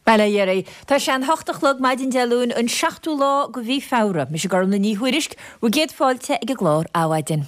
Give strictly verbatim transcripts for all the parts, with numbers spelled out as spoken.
Bail ó Dhia oraibh. Tá sé an hocht a chlog maidin Dé Luain an seachtú lá de mhí Feabhra. Mise Gormlaith Ní Thuairisg, bhur gcéad fáilte ag an gclár Adhmhaidin.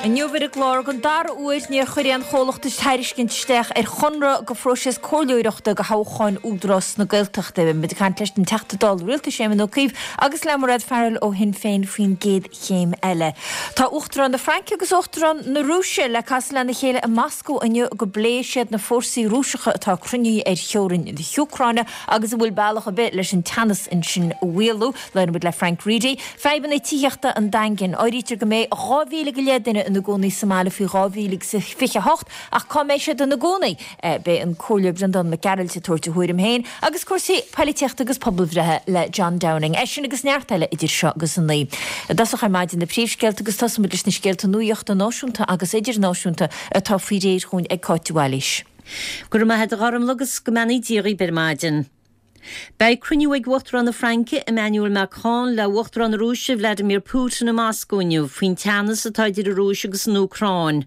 Inniu ar an gclár, don dara huair níor chuir aon chomhlacht tairiscint isteach ar chonradh do phróiseas comhairleoireachta do thoghcháin Údarás na Gaeltachta. Beidh muid ag caint leis an Teachta Dála Rialtais Éamon Ó Cuív agus le Mairéad Farrell ó Shinn Féin faoin gcéad chéim eile. Tá Uachtarán na Fraince agus Uachtarán na Rúise le casadh lena chéile i Moscó inniu go bpléifidh siad na fórsaí Rúiseacha atá cruinnithe ar theorainn na hÚcráine agus an bhfuil bealach ar bith leis an teannas ansin a mhaolú. Labhróidh muid le Frank Reidy. Fadhbanna tithíochta an Daingin. Áirítear go mbeidh dhá mhíle go leith duine ina gcónaí sa mbaile faoi dhá mhíle agus a fiche a hocht ach cá mbeidh siad ina gcónaí? Beidh an Comhairleoir Breandán Mac Gearailt ag tabhairt a thuairim féin agus cúrsaí poilitíochta agus pobalbhreithe le John Downing. É sin agus neart eile idir seo agus a naoi. I dtosach ar maidin na príomhscéalta agus tosóidh muid leis na scéalta nuachta náisiúnta agus idirnáisiúnta atá faoi réir chugainn ag Cáit de Bhailís. Go raibh maith agat a Ghormlaith agus go mbeannaí Dia dhaoibh ar maidin. Beidh cruinniú ag Uachtarán na Fraince, Emmanuel Macron, le Uachtarán na Rúise, Vladimir Putin i Moscó inniu faoin teannas atá idir an Rúis agus an Úcráin.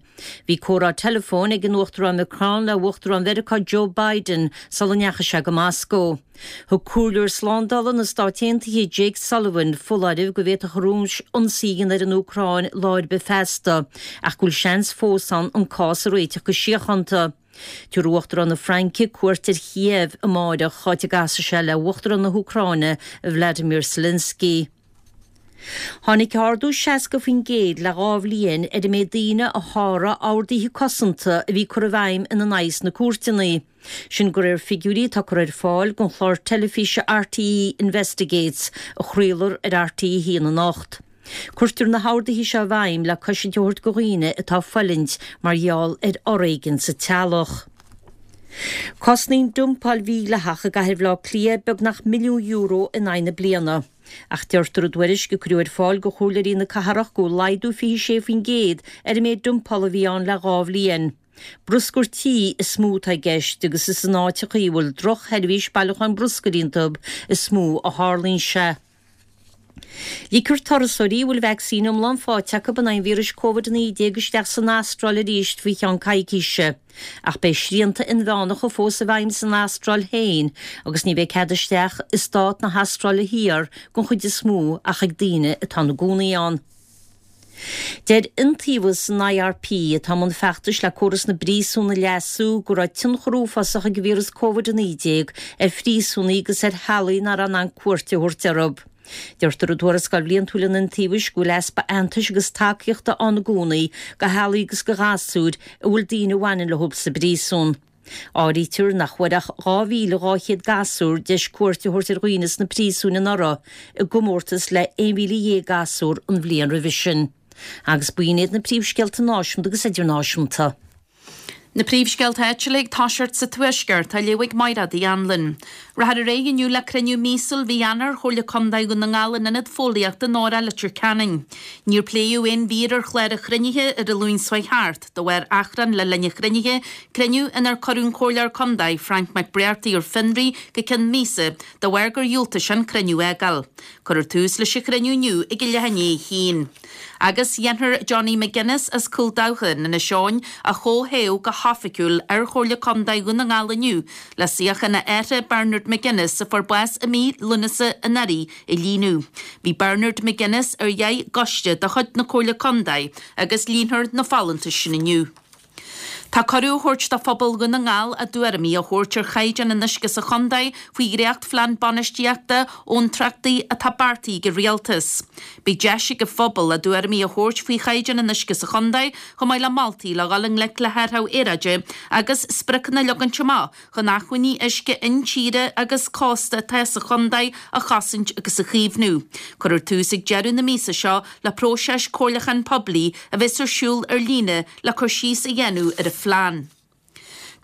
Bhí comhrá teileafóin ag an Uachtarán Macron le Uachtarán Mheiriceá Joe Biden sula ndeachaigh sé go Moscó. Thug Comhairleoir Slándála na Stát Aontaithe Jake Sullivan foláireamh go bhféadfadh an Rúis ionsaí a dhéanamh ar an Úcráin lá ar bith feasta, ach go bhfuil seans fós ann an cás a réiteach go síochánta. Tabharfaidh Uachtarán na Fraince cuairt ar Chíéiv amáireach, áit a gcasfaidh sé le Uachtarán na hÚcráine, Vladimir Zelensky. Tháinig ardú seasca faoin gcéad le dhá bhliain ar an méid daoine a sháraigh orduithe cosanta a bhí curtha i bhfeidhm ina n-aghaidh sna cúirteanna. Sin de réir figiúirí atá curtha ar fáil don chlár teilifíse RTÉ Investigates a chraolfar ar RTÉ a haon anocht. Cuirtear na horduithe seo i bhfeidhm le cosaint a thabhairt do dhaoine atá ag fulaingt mar gheall ar fhoréigean sa teaghlach. Cosnaíonn dumpáil mhídhleathach i gcathair Bhaile Átha Cliath beagnach milliún euro in aghaidh na bliana. Ach deirtear i dtuairisc a cuireadh ar fáil do chomhairleoirí na cathrach go bhfuil laghdú fiche sé faoin gcéad ar an méid dumpála a bhí ann le dhá bhliain. Bruscar tí is mó atá i gceist agus is in áiteacha a bhfuil drochsheirbhís bailiúcháin bruscair iontu is mó a tharlaíonn sé. Ligfear turasóirí a bhfuil vacsaín iomlán faighte acu in aghaidh an víris Covid a naoi déag isteach san Astráil arís faoi cheann coicíse. Ach beidh srianta inmheánacha fós i bhfeidhm san Astráil féin agus ní bheidh cead isteach i stát na hAstráile Thiar den chuid is mó ach ag daoine atá ina gcónaí ann. Deir iontaobhas an IRP, atá i mbun feachtais le córas na bpríosún a leasú, go raibh tionchar uafásach ag an víreas Covid a naoi déag ar phríosúnaigh agus ar theaghlaigh nach raibh in ann cuairt a thabhairt orthu. Deirtear i dtuarascáil bhliantúil an iontaobhais go bhfuil easpa aitheantais agus tacaíochta ann i gcónaí do theaghlaigh agus do ghasúir a bhfuil daoine a bhaineann leo sa bpríosún. Áirítear nach bhfuair ach dhá mhíle dhá chéad gasúr deis cuairt a thabhairt ar dhaoine sna príosúin anuraidh, i gcomórtas le aon mhíle dhéag gasúr an bhliain roimhe sin. Agus b'in iad na príomhscéalta náisiúnta agus idirnáisiúnta. Na príomhscéalta áitiúla ag toiseacht sa Tuaisceart, á léamh ag Mairéad Uí Anluain. Rachfar ar aghaidh inniu le cruinniú míosúil mhí Eanáir Chomhairle Contae Dhún na nGall in Ionad Fóillíochta Nóra, Leitir Ceanainn. Níor pléadh aon mhír ar chlár an chruinnithe ar an Luan seo thart, de bharr achrann le linn an chruinnithe, cruinniú inar cuireadh an Comhairleoir Contae, Frank McBrearty ar fionraí go ceann míosa de bharr gur dhiúltaigh sé an cruinniú a fhágáil. Cuirfear tús leis an chruinniú inniu ag a leath i ndiaidh a haon. Agus dhéanfar Johnny McGuinness as Cúil Dabhcha in Inis Eoghain a chomhthoghadh go hoifigiúil ar Chomhairle Contae Dhún na nGall inniu le suíochán a athara Bernard McGuinness a fuair bás i mí Lúnasa anuraidh a líonadh. Bhí Bernard McGuinness ar dheich gcoiste de chuid na Comhairle Contae agus líonfar na folúntais sin inniu. Tá cuireadh á thabhairt do phobal Dhún na nGall a dtuairimí a thabhairt ar chaighdeán an uisce sa chontae faoi dhréachtphlean bainistíochta abhantrachtaí atá beartaithe ag an Rialtas. Beidh deis ag an phobal a dtuairimí a thabhairt faoi chaighdeán an uisce sa chontae chomh maith le moltaí le dhul i ngleic le hathrú aeráide agus spriocanna a leagaint amach chun acmhainní uisce intíre agus cósta atá sa chontae a chosaint agus a chaomhnú. Cuirfear tús ag deireadh na míosa seo le próiseas comhairliúcháin poiblí a bheas ar siúl ar líne le cur síos a dhéanamh ar an phlean.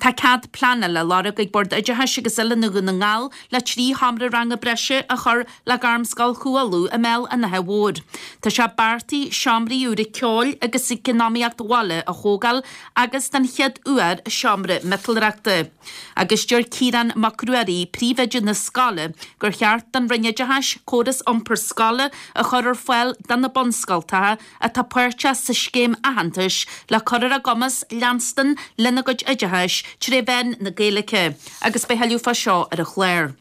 Tá cead pleanála á lorg ag Bord Oideachais agus Oiliúna Dhún na nGall le trí sheomra ranga breise a chur le Gairmscoil Chú Uladh i mBéal an Átha Mhóir. Tá sé beartaithe seomraí úra ceoil agus eacnamaíocht bhaile a thógáil agus den chéad uair seomra miotalóireachta. Agus deir Ciarán Mac Ruairí, príomhoide na scoile, gur cheart don Roinn Oideachais córas iompar scoile a chur ar fáil do na bunscoltacha atá páirteach sa scéim aitheantais le cur ar a gcumas leanstan lena gcuid oideachais tré mheán na Gaeilge, agus beidh tuilleadh fá seo ar an chlár.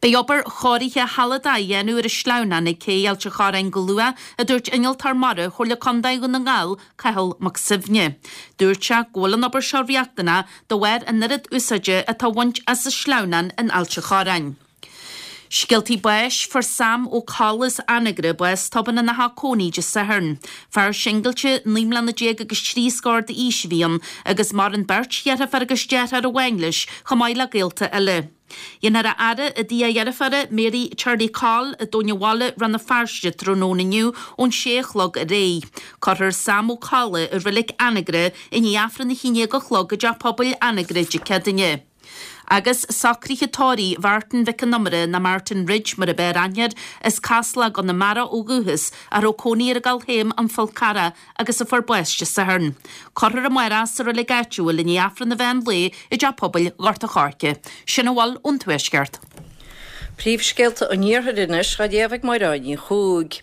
Beidh obair chóirithe shealadach á dhéanamh ar an sleamhnán ag cé Ailt an Chorráin go luath, a dúirt innealtóir mara Chomhairle Contae Dhún na nGall, Cathal Mac Suibhne. Dúirt sé go bhfuil an obair seo riachtanach de bharr an oiread úsáide atá á bhaint as an sleamhnán in Ailt an Chorráin. Scéaltaí báis, Fuair Sam Ó Colla as Anagaire bás tobann ina theach cónaí Dé Sathairn. Fear singilte, naoi mbliana déag agus trí scór d'aois a bhí ann agus maireann beirt dheirfiúr agus deartháir amháin leis chomh maith le gaolta eile. Dhéanfar a fhaire i dtigh a dheirféara, Mary Charlie Coll i dTóin an Bhaile, Rann na Feirste tráthnóna inniu ón sé a chlog ar aghaidh. Cuirfear Sam Ó Colla i reilig Anagaire i ndiaidh Aifreann a haon déag a chlog i dTeach Pobail Anagaire Dé Céadaoine. Agus socruithe tórraimh Mhartin Mhic an Iomaire, nó Martin Ridge mar ab fhearr aithne air, as Casla i gConamara ó dhúchas, a raibh cónaí air i gCoill Théim, An Fál Carrach, agus a fuair bás Dé Sathairn. Cuirfear amárach sa reilig áitiúil i ndiaidh Aifreann an mheán lae i dTeach Pobail Ghort an Choirce. Sin a bhfuil ón Tuaisceart. Príomhscéalta an Iarthair anois á léamh ag Máire Ní Chuaig.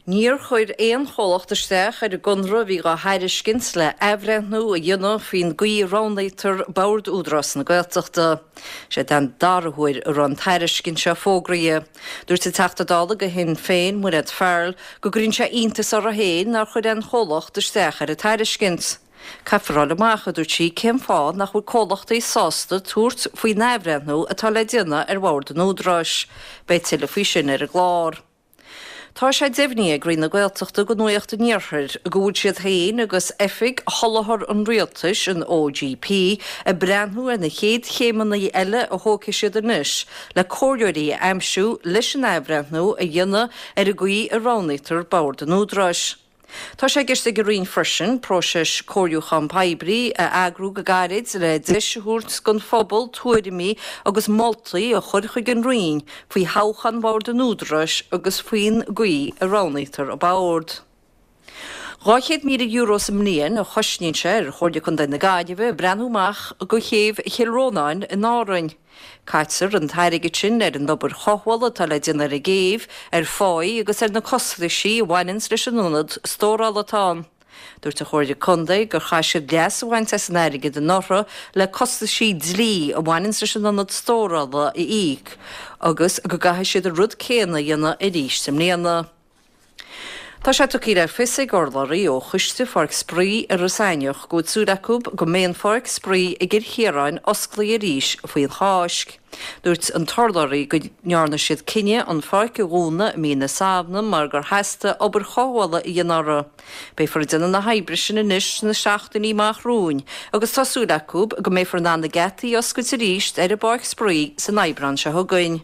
Níor chuir aon chomhlacht isteach ar an gconradh a bhí á thairiscint le athbhreithniú a dhéanamh faoin gcaoi a roghnaítear Bord Údarás na Gaeltachta. Sé den dara huair a raibh an tairiscint seo fógraithe. Dúirt an Teachta Dála do Shinn Féin, Mairéad Farrell, go gcuireann sé iontas uirthi féin nár chuir aon chomhlacht isteach ar an tairiscint. Caithfear a fháil amach, a dúirt sí, cén fáth nach bhfuil comhlachtaí sásta tabhairt faoin athbhreithniú atá le déanamh ar Bhord an Údaráis. Beidh tuilleadh faoi sin ar an gclár. Tá sé deimhnithe ag Roinn na Gaeltachta do Nuacht an Iarthair go bhfuil siad féin agus Oifig Sholáthar an Rialtais, an OGP, ag breathnú ar na chéad chéimeanna eile a thógfaidh siad anois le comhairleoirí a aimsiú leis an athbhreithniú a dhéanamh ar an gcaoi a roghnaítear Bord an Údaráis. Tá sé i gceist ag an Roinn freisin próiseas comhairliúchán poiblí a eagrú go gairid le deis a thabhairt don phobal tuairimí agus moltaí a chur chuig an Roinn faoi thoghchán Bhord an Údaráis agus faoin gcaoi a roghnaítear an Bord. Dhá chéad míle euro sa mbliain a chosnaíonn sé ar Chomhairle Contae na Gaillimhe breathnú amach do chéibh Chill Rónáin in Árainn. Caitear an t-airgead sin ar an obair chothabhála atá le déanamh ar an gcéibh, ar pháí agus ar na costaisí a bhaineanns leis an ionad stórála atá ann. Dúirt an Chomhairle Contae gur chaith siad leas a bhaint as an airgead anuraidh le costaisí dlí a bhaineanns leis an ionad stórála a íoc agus go gcaithfidh siad an rud céanna a dhéanamh arís i mbliana. Tá sé tugtha le fios ag urlabhraí ó Choiste Pháirc Spraoi Iorras Aithneach go bhfuil súil acu go mbeidh an pháirc spraoi i gCill Chiaráin osclaithe arís faoin Cháisc. Dúirt an t-urlabhraí go ndearna siad cinneadh an pháirc a dhúnadh i mí na Samhna mar gur theastaigh obair chothabhála a dhéanamh uirthi. Beifear ag déanamh na hoibre sin anois sna seachtainí amach romhainn agus tá súil acu go mbeifear in ann na geataí a oscailt arís ar an bpáirc spraoi san Aibreán seo chugainn.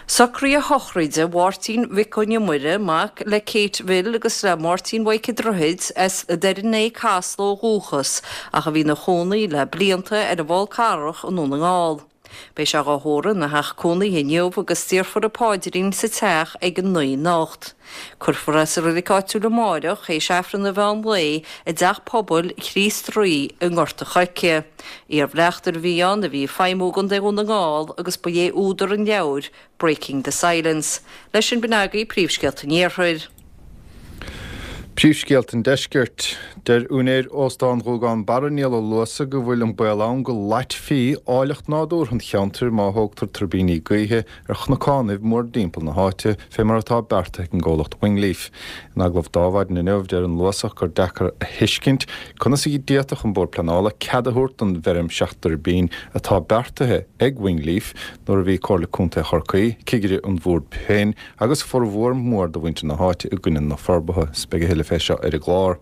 Socruithe sochraide Mháirtín Mhic Con Iomaire, mac le Kate Bhill agus le Máirtín Mhaidhc an Droichid, as Doire an Fhéich Casla ó dhúchas, ach a bhí ina chónaí le blianta ar an bhFál Carrach i nDún na nGall. Beidh sé dhá thórramh ina theach cónaithe inniu agus déarfar an paidrín sa teach ag a naoi anocht. Cuirfear é sa reilig áitiúil amáireach théis Aifreann an mheán lae i dTeach Pobail Chríost Rí i nGort an Choirce. Iarbhleachtaire a bhí ann a bhí ag feidhmiú i gContae Dhún na nGall agus ba é údar an leabhair Breaking the Silence. Leis sin b'in agaibh príomhscéalta an Iarthair. Príomhscéalta an Deiscirt. Deir úinéir Óstán Ghuagán Barra Niall Ó Luasa go bhfuil an baol ann go loitfí áilleacht nádúrtha an cheantair má thógtar tuirbíní gaoithe ar chnocánaibh mórdtimpeall na háite fé mar atá beartaithe ag an gcomhlacht Wingleaf. In agallamh d'Adhmhaidin inniu deir an Luasach gur deacair a thuiscint conas a d'fhéadfadh an Bord Pleanála cead a thabhairt don bhfeirm seacht dtuirbín atá beartaithe ag Wingleaf nuair a bhí Comhairle Contae Chorcaí, cigire an bhoird féin agus formhór mór de mhuintir na háite i gcoinne na forbartha. Is beidh a thuilleadh fé seo ar an gclár.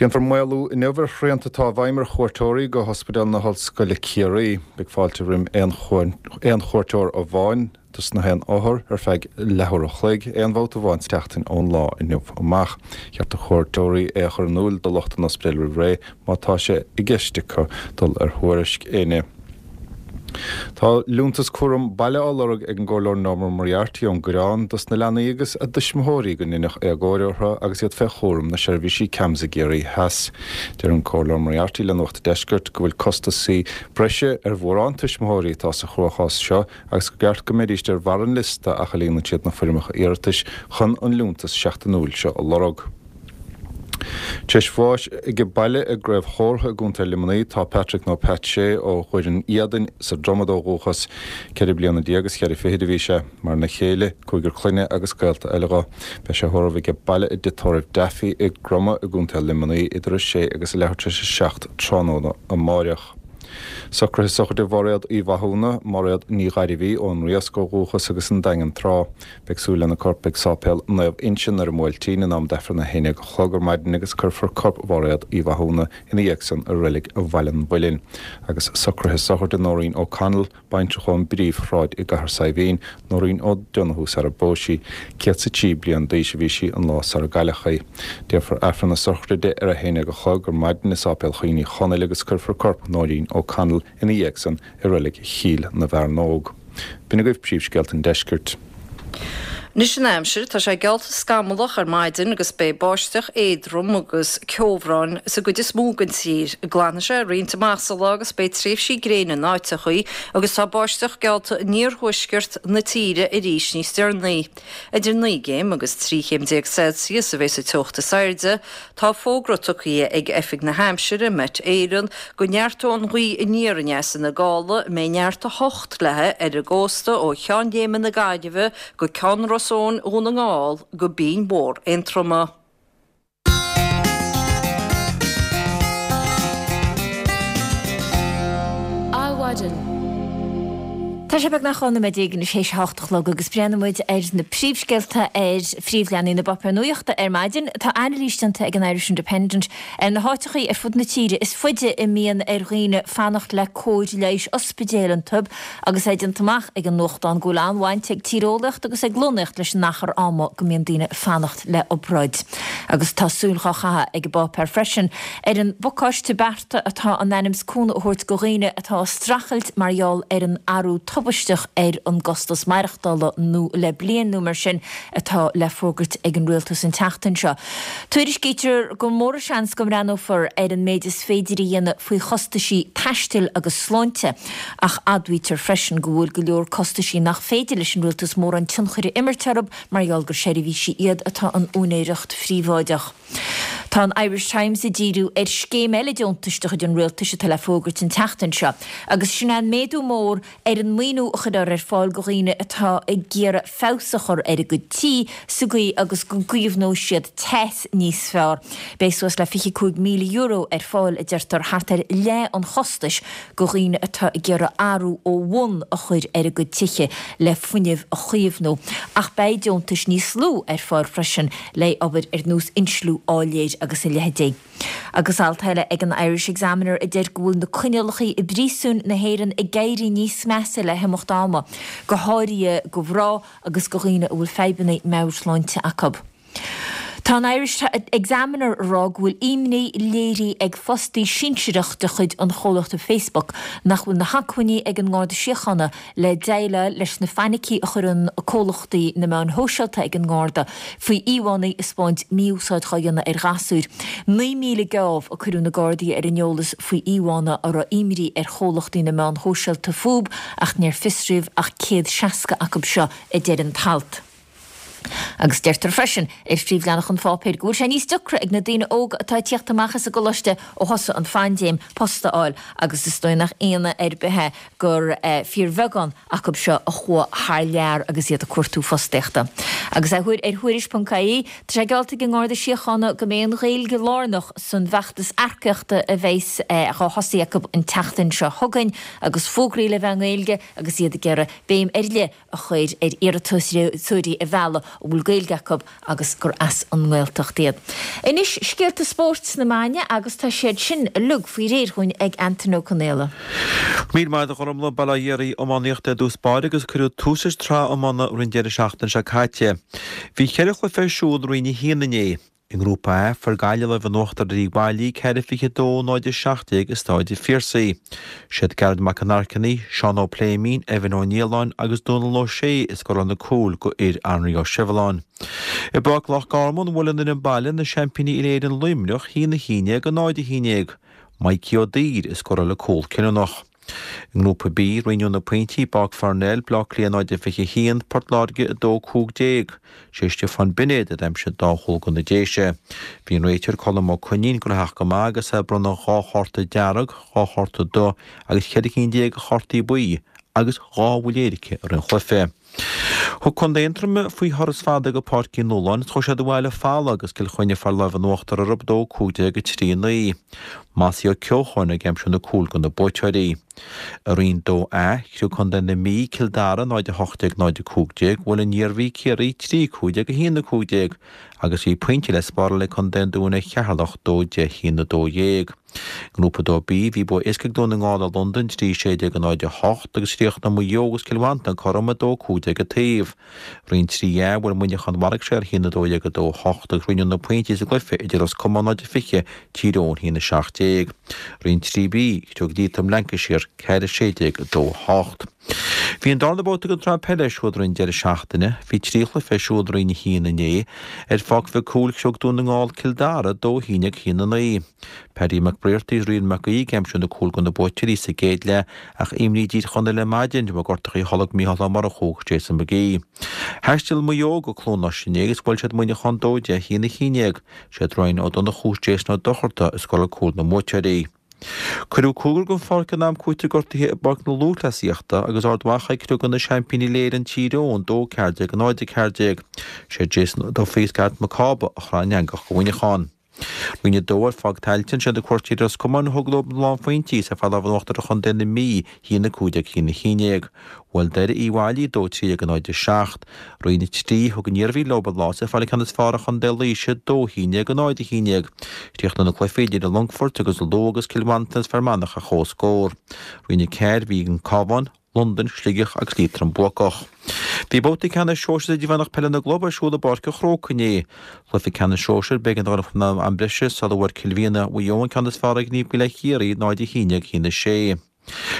Déanfar maolú inniu ar shrianta atá i bhfeidhm ar chuairteoirí go hOspidéal na hOllscoile Ciarraí. Beidh fáilte roimh aon chuairteoir amháin dos na haon othar ar feadh leathuair a chloig, aon bhabhta amháin sa tseachtain ón lá inniu amach. Cheart do chuairteoirí é a chur in iúl do lucht an ospidéil roimh ré má tá sé i gceist acu dul ar thuairisc éinne. Tá liúntas cúram baile á lorg ag an gComhairleoir Norma Moriarty ón gCoireán dos na leanaí agus a dtuismitheoirí go ndéanfadh éagóir orthu agus iad fé chúram na seirbhísí CAMHS i gCiarraí Theas. Deir an Comhairleoir Moriarty le Nuacht an Deiscirt go bhfuil costasaí breise ar mhórán tuismitheoirí atá sa chruachás seo agus go gceart go mbeidís ar bharr an liosta ach a líonann siad na foirmeacha iarratais chun an liúntas seachtainiúil seo a lorg. Tar éis bháis age baile i gCraobh Chórdha i gContae Luimnigh tá Patrick nó Pat Shea ó Dhoireann Éadain sa Dromad ó dhúchas. Ceithre bliana déag agus ceithre fichid a bhí sé. Maireann a chéile, cúigear clainne agus gaolta eile dho. Beidh sé tórramh age baile i dtigh tórraimh Daffy i gCromadh i gContae Luimnigh idir a sé agus a leathuair tar éis a seacht tráthnóna amáireach. Socruithe sochraide Mháiréad Uí Mhathúna, Máiréad Ní Ghairbhí, ón Riasc ó dhúchas agus an Daingean tráth. Beidh súil lena corp ag Sáipéal Naomh Uinseann ar an mBuailtín in am d'Aifreann a haon déag a chlog ar maidin agus cuirfear corp Mháiréad Uí Mhathúna ina dhiaidh san i reilig Bhaile an Mhuilinn. Agus socruithe sochraide Nóirín O'Connell, baintreach ón bPríomhshráid i gCathair Saidhbhín, Nóirín O'Donoghue sara bpós sí. Céad 's a trí bliain d'aois a bhí sí an lá sara gcailleadh í. Déanfar Aifreann na sochraide ar a haon déag a chlog ar maidin i Sáipéal Choinn Uí Chonaill agus cuirfear corp Nóirín O'Connell ina dhiaidh san i reilig Chill na bhFearnóg. B'in agaibh príomhscéalta an deiscirt. Anois an aimsir, tá sé geallta scamallach ar maidin agus beidh báisteach éadrom agus ceobhrán sa gcuid is mó den tír. Glanfaidh sé roinnt amach sa lá agus beidh tréimhsí gréine in áiteachaí agus tá báisteach geallta in iarthuaisceart na tíre arís níos deireanaí. Idir naoi gcéim agus trí chéim déag Celsius a bheidh sa teocht is airde. Tá fógra tugtha ag Oifig na hAimsire, Met Éireann, go neartóidh an ghaoth aniar aneas ina gála, a mbeidh neart a hocht léi ar an gcósta ó Cheann Léime na Gaillimhe go Ceann Ros Eoin Dhún na nGall go Binn Mhór Aontroma. Adhmhaidin. Tá sé beagnach dhá nóiméad déag anois théis a hocht a chlog agus breathnaíonn muid ar na príomhscéalta ar phríomhleathanaigh na bpáipéar nuachta ar maidin. Tá anailís déanta ag an Irish Independent ar na háiteachaí ar fud na tíre is faide a mbíonn ar dhaoine fanacht le cóir leighis ospidéil iontu agus é déanta amach ag an nuachtán go bhfuil an-bhaint ag tíreolaíocht agus ag lonnaíocht leis an achar ama go mbíonn daoine ag fanacht le obráid. Agus tá súil dhá chaitheamh ag an bpáipéar freisin ar an bpacáiste bearta atá in ainm is cúnamh a thabhairt go dhaoine atá ag streachailt mar gheall ar an athrú tubaisteach ar an gcostas maireachtála nó le bliain nó mar sin atá le fógairt ag an rialtas an tseachtain seo. Tuairiscítear gur mór an seans go mbreathnófar ar an méid is féidir a dhéanamh faoi chostaisí taistil agus sláinte, ach admhaítear freisin go bhfuil go leor costaisí nach féidir leis an rialtas mórán tionchair a imirt orthu mar gheall gur seirbhísí iad atá in úinéireacht phríobháideach. Tá an Irish Times ag díriú ar scéim eile deontais de chuid an rialtais atá le fógairt an tseachtain seo, agus sin é an méadú mór ar an maoiniú a chuirfear ar fáil go dhaoine atá ag iarraidh feabhas a chur ar a gcuid tí sa gcaoi agus go gcaomhnóidh siad teas níos fearr. Beidh suas le fiche cúig míle euro ar fáil, a deirtear, thart ar leath an chostais go dhaoine atá ag iarraidh athrú ó bhun a chur ar a gcuid tithe le fuinneamh a chaomhnú. Ach beidh deontais níos lú ar fáil freisin le obair ar nós insliú áiléir agus a leithéidí. Agus alt eile ag an Irish Examiner a deir go bhfuil na coinníollacha i bpríosúin na hÉireann ag éirí níos measa le himeacht ama, go háirithe go mhná agus go dhaoine a bhfuil fadhbanna meabhairshláinte acu. Tá an Irish Examiner ag rá go bhfuil imní léirithe ag fostaí sinsearach de chuid an chomhlachta Facebook nach bhfuil na hacmhainní ag an nGarda Síochána le déileáil leis na fainicí a chuireann comhlachtaí na meáin shóisialta ag an nGarda faoi íomhánna ag 'spáint mí-úsáid dhá dhéanamh ar ghasúir. Naoi míle geábh a cuireadh na Gardaí ar an eolas faoi íomhánna a raibh imní ar chomhlachtaí na meán shóisialta fúb ach níor fiosraíodh ach céad seasca acu seo, a deir an t-alt. Agus deirtear freisin ar phríomhleathanach an pháipéir go bhfuil sé níos deacra ag na daoine óga atá ag tíocht amach as an gcoláiste ó thosaigh an phaindéim post a fháil agus is dóigh nach ionadh ar bith é gur fíorbheagán acu seo a chuaigh thar lear agus iad ag cuartú fostaíochta. Agus ar Thuairisc ponc ie, tá sé geallta ag an nGarda Síochána go mbeidh an Ghaeilge lárnach san bhfeachtas earcaíochta a bheas á thosaí acu an tseachtain seo chugainn agus fógraí le bheith i nGaeilge agus iad ag iarraidh béim ar leith a chur ar iarratasóirí a mhealladh a bhfuil Gaeilge acu agus gur as an nGaeltacht iad. Anois scéalta spóirt sna meáin agus tá siad sin uilig faoi réir dhúinn ag Antain Ó Conaola. Míle maith agat a Ghormfhlaith. Bail ó Dhia oraibh. Iománaíocht ar dtús báire agus cuireadh tús leis an tsraith iomána roimh an deireadh seachtaine seo caite. Bhí ceithre chluiche ar siúl i Roinn a haon inné. I nGrúpa A, fuair Gaillimh lámh in uachtar ar Uíbh Fhailí, ceithre fiche a dó, náid a seacht déag i Stáid an Phiarsaigh. Siad Gearóid Mac an Airchinnigh, Seán Ó Pléimín, Evan Ó Nialláin agus Dónal Ó Sé a scóráil na cúil go fhir Anraí Ó Sibhleáin. I bPáirc Loch Garman, bhuail an fhoireann baile na seaimpíní Uile-Éireann Luimneach, a haon a haon déag, a náid a haon déag. Mikey Ó Duibhir a scóráil an cúl cinniúnach. I nGrúpa B, roinneadh na pointí i bPáirc Pharnell, Bleá Cliath náid a fiche a haon, Port Láirge a dó cúig déag. Sé Stiofán Binéad a d'aimsigh an dá chúl go na Déise. Bhí an réiteoir Colm Ó Coinín gnóthach go maith agus é ag bronnadh dhá chárta dearg, dhá chárta dubh agus ceithre cinn déag de chártaí buí agus dhá bhuille éirice i rith an chluiche. Thug Contae Aontroma faoi thuras fada go Páirc Uí Nualláin is chuaigh siad abhaile folamh agus Cill Chainnigh ag fáil lámh in uachtar orthu dó cúig déag a trí naoi. Mossie Ó Ceocháin ag aimsiú na cúil go na buaiteoirí. I Roinn dó A, chriog Contae na Mí, Cill Dara náid a hocht déag náid a cúig déag, bhuail an Iarmhí Ciarraí trí cúig déag a haon a cúig déag agus bhí pointe le spáráil ag Contae an Dúin ar Cheatharlach dó deich a haon a dó dhéag. Ngrúpa dó B, bhí bua éasca ag Dún na nGall ar Londain trí sé déag a náid a hocht agus chríochnaigh Maigh Eo agus Cill Mhantáin cothrom a dó cúig déag an taobh. Roinn trí A, bhuail Muineachán mharaigh sé ar a haon a dó dhéag a dó a hocht agus roinneadh na pointí sa gcluiche idir Ros Comáin náid a fiche, Tír Eoghain a haon a seacht déag. Roinn trí B, chriog Liatroim Lancashire ceathair a sé déag a dó a hocht. Bhí an darna babhta den tsraith peile ar siúl roimh an deireadh seachtaine. Bhí trí chluiche ar siúl i Roinn a haon inné. Ar Pháirc Mhic Cumhaill chriog Dún na nGall Cill Dara dó a haon déag a haon a naoi. Paddy McBrearty is Rian Mac Aoidh ag aimsiú na cúl do na buaiteoirí sa gcéad leath ach imní d'Thír Chonaill ar maidin de bharr gortachaí a tholg Mícheál Ó Murchú agus Jason McGee. Thaistil Maigh Eo go Cluain Rois inné agus bhuail siad Muineachán dó deich a haon a haon déag. Siad Ryan Ó Donnchú is Jason Ó Dochartaigh a scóráil cúil na mbuaiteoirí. Cuireadh cúigear den pháirc in am cúitimh gortaithe i bPáirc na Lúthchleasaíochta agus Ard Mhacha ag criogadh na seaimpíní Uile-Éireann Tír Eoghain dó ceathair déag a náid a ceathair déag. Sé Jason Ó Dufaigh is Gareth Mac Cába a chraith an eangach do Mhuineachán. Roinn a dó ar Pháirc Tailteann, siad na cuairteoirí Ros Comáin a thug leo na lánphointí is ag fáil lámh in uachtar ar chontae na Mí, a haon a cúig déag a haon a haon déag. Bhuail Doire Uíbh Fhailí dó trí déag a náid a seacht. Roinn a trí, thug an Iarmhí leo an lá is ag fáil an ceann is fearr ar chontae Laoise, dó a haon déag a náid a haon déag. Chríochnaigh na cluichí idir an Longfort agus Lú agus Cill Mhantáin is Fear Manach ar comhscór. Roinn a ceathair, bhí an Cabhán, Londain, Sligeach agus Liatroim buacach. Bhí babhta ceannais sóisir idirmheánach peile na gclub ar siúl i bPáirc an Chrócaigh inné. Cluiche ceannais sóisir, b'éigean dul chun am breise sula bhfuair Cill Mhianna Mhaigh Eo an ceann is fearr ar Naomh Baile Chiarraí náid a haon déag a haon a sé.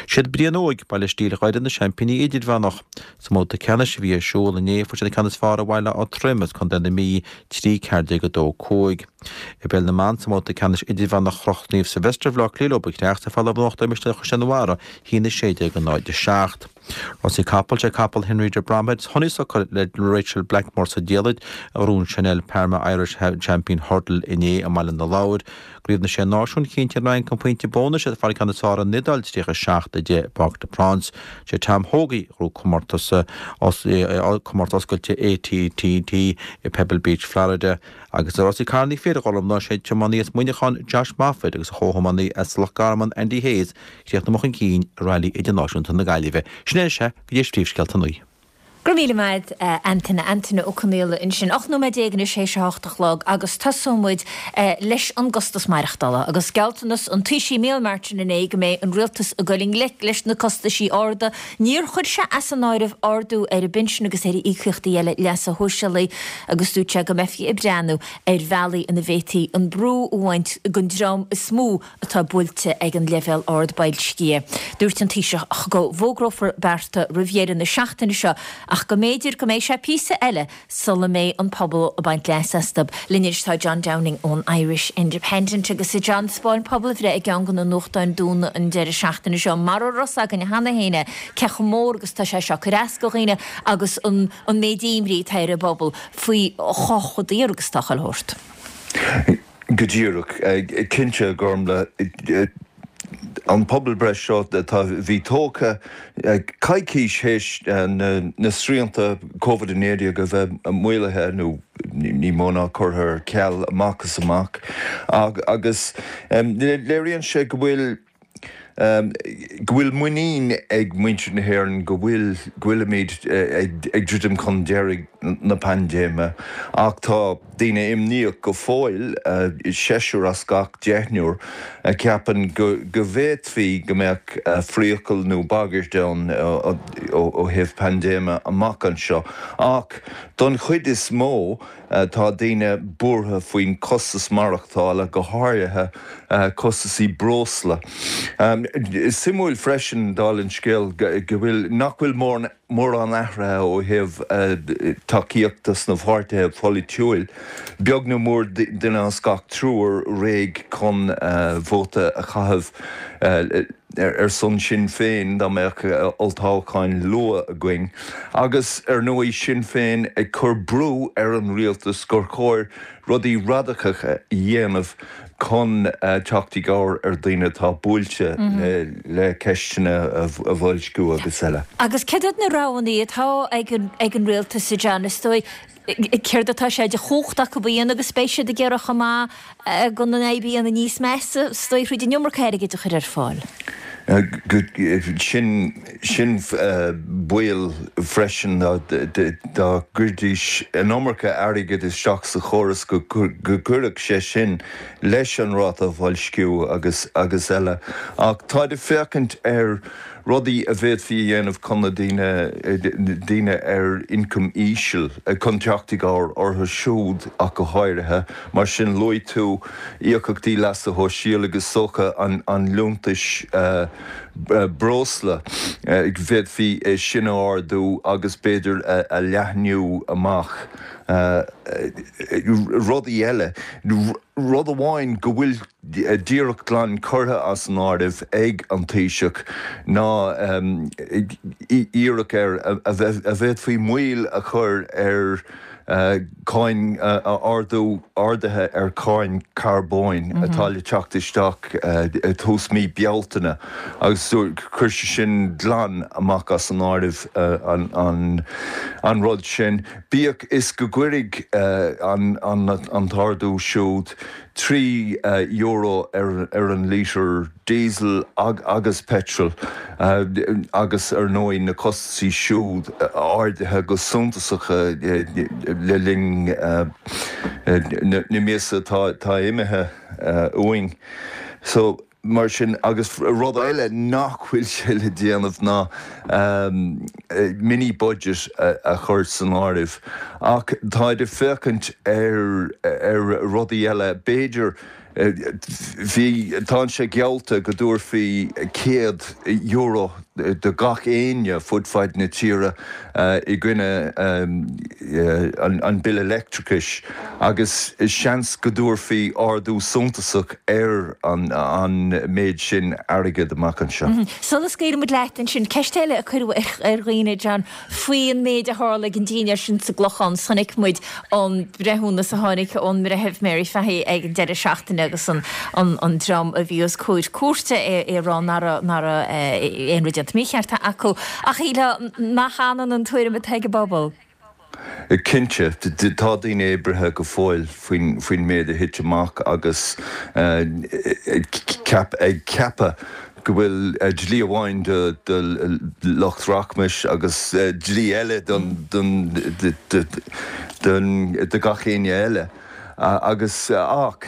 Siad Brian Óig, Baile Stíl Dhoire na seaimpíní idirmheánach. Sa mbabhta ceannais a bhí ar siúl inné fuair siad an ceann is fearr ar Bhaile Átha Troim as Contae na Mí, trí ceathair déag a dó cúig. I bpeil na mban sa mbabhta ceannais idirmheánach chroch Naomh Sylvester Bhaile Átha Cliath leo ba chreach sa pheil in uachtar Misneach Chaisleán an Bharraigh, a haon a sé déag a náid a seacht. Rásaí capall, sé capall Henry de Bromhead, Honeysuckle le Rachael Blackmore sa diallait a ghnóthaigh an Chanel Parma Irish Champion Hurdle inné i mBaile na Lobhar. I gCraobh na Sé Náisiún, chinntigh an Fhrainc an pointe bónais ag fáil an ceann is fearr ar an Iodáil tríocha a seacht a deich i bParc des Princes. Sé Tom Hoge a ghnóthaigh comórtas comórtas oscailte A T T i Pebble Beach, Florida. Agus i rásaí carranna fir a Ghormfhlaith, sé tiománaí as Muineachán Josh Moffett agus a chomhthiománaí as Loch Garman Andy Hayes chríochnaigh chun cinn i Railí Idirnáisiúnta na Gaillimhe. Sin é sé go dtí príomhscéalta a naoi. Go raibh míle maith Antaine Antaine Ó Conaola ansin. Ocht nóiméad déag anois théis a hocht a chlog agus tosóidh muid leis an gcostas maireachtála agus gealltanas an Taoisigh Micheál Martin inné go mbeidh an rialtas ag dul i ngleic leis na costaisí arda. Níor chuir sé as an áireamh ardú ar an bpinsean agus ar íocaíochtaí eile leasa shóisialaigh agus dúirt sé go mbeifí ag breathnú ar bhealaí ina bhféadfaí an brú a bhaint den dream is mó atá buailte ag an leibhéal ard boilscithe. Dúirt an Taoiseach go bhfógrófar bearta roimh dheireadh na seachtaine seo ach go mb'fhéidir go mbeidh sé píosa eile sula mbeidh an pobal ag baint leas astu. Linn anois tá John Downing ón Irish Independent agus a John 'spáin pobalbhreith i gceann de na nuachtáin dúinn an deireadh seachtaine seo mar a raibh againn cheana féin cé chomh mór agus tá sé seo ag cur as do dhaoine agus an an méid imní atá ar an bpobal faoi chomh chomh daor agus tá chuile shórt. Go díreach cinnte Gormfhlaith an pobalbhreith seo atá bhí tógtha coicís théis na srianta Covid a naoi déag a bheith maolaithe nó ní mó ná curtha ar ceal amach is amach agus léiríonn sé go bhfuil go bhfuil muinín ag muintir na hÉireann go bhfuil go bhfuilimid ag ag druidim chun deiridh na paindéime ach tá daoine imníoch go fóill seisear as gach deichniúr a cheapann go go bhféadfaí go mbeadh priacal nó bagairt ann ó thaobh paindéime amach anseo ach don chuid is mó tá daoine buartha faoin costas maireachtála go háirithe costasaí breosla. Is suimiúil freisin dála an scéil go bhfuil nach bhfuil mórán athraithe ó thaobh tacaíochta sna pháirtithe polaitiúil, beag nó mór duine as gach triúr réidh chun vóta a chaitheamh ar son Sinn Féin dá mbeadh olltoghcháin luath againn agus ar ndóigh Sinn Féin ag cur brú ar an rialtas gur chóir rudaí radacacha a dhéanamh chun teacht i gcabhair ar dhaoine atá buailte le ceisteanna a bhoilsciú agus eile. Agus céard iad na roghanna atá ag an rialtas a John? Is dóigh céard atá sé de chumhacht acu a dhéanamh agus beidh siad ag iarraidh chomh maith gan an fhadhb a dhéanamh níos measa, is dóigh thríd an iomarca airgid a chur ar fáil. Sin sin baol freisin dá gcuirdís an iomarca airgid isteach sa chóras go gcuirfeadh sé sin leis an ráta bhoilsciú agus agus eile. Ach táid ag féachaint ar rudaí a bhféadfaí a dhéanamh chun na daoine daoine ar ioncam íseal chun teacht i gcabhair orthu siúd ach go háirithe. Mar sin luaigh tú íocaíochtaí leasa shóisialaigh is dócha an an liúntais breosla bhféadfaí é sin a ardú agus b'fhéidir a leathnú amach rudaí eile. Rud amháin go bhfuil díreach glan curtha as an áireamh ag an Taoiseach ná iarracht ar a bhféadfaí moill a chur ar cáin ardú arduithe ar cháin carbóin atá le teacht isteach tús mí Bealtaine agus chuir sé sin glan amach as an áireamh an an rud sin. Bíodh is go gcuirfidh an an t-ardú siúd trí euro ar ar an lítear diesel agus petrol agus ar ndóigh na costasaí siúd ardaithe go suntasach le linn na míosa atá imithe uainn. So mar sin agus rud eile nach bhfuil sé le déanamh ná mini budget a chur san áireamh ach táid ag féachaint ar ar rudaí eile b'fhéidir bhí tá sé geallta go dtabharfaí céad euro do gach éinne fud fad na tíre i gcoinne an bille leictreachais agus seans go dtabharfaí ardú suntasach ar an an méid sin airgid amach anseo. Sula scaoilimid leat ansin ceist eile a cuireadh ar dhaoine John faoin méid a tharla ag an dinnéar sin sa gClochán chonaic muid an breithiúnas a tháinig ón mBreitheamh Mary Fahy ag an deireadh seachtaine agus an an an dream a bhí os comhair cúirte é é rá nach raibh nach raibh aon rud déanta mícheart acu ach shílfeá nach ionann an tuairim atá ag an bpobal. Cinnte, tá daoine oibrithe go fóill faoin faoin méid a thit amach agus ceap ag ceapadh go bhfuil dlí amháin do do lucht rachmais agus dlí eile don don don do gach éinne eile. Agus ach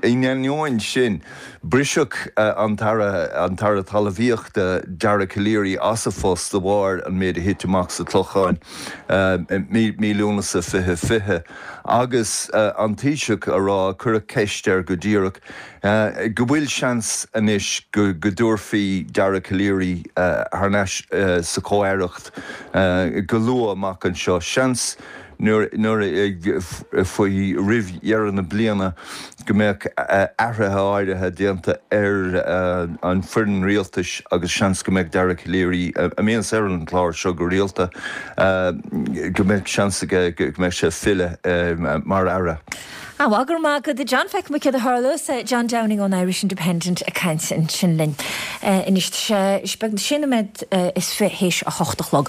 in ainneoin sin, briseadh an tAire an tAire Talmhaíochta Dara Calleary as a phost de bharr an méid a thit amach sa Clochán mí mí Lúnasa fiche fiche agus an Taoiseach a rá cuireadh ceist air go díreach go bhfuil seans anois go go dtabharfaí Dara Calleary thar n-ais sa chomh-aireacht go luath amach anseo. Seans nuair nuair faoi roimh dheireadh na bliana go mbeadh athruithe áirithe déanta ar an foireann rialtais agus seans go mbeadh Dara Calleary a mbíonns ar an chlár seo go rialta go mbeadh seans aige go mbeadh sé filleadh mar aire. Ah, bhuel, go raibh maith agat, a John. Feicfidh muid céard a tharlós. John Downing ón Irish Independent ag caint ansin linn. Anois, tá sé beagnach sé nóiméad is fiche théis a hocht a chlog.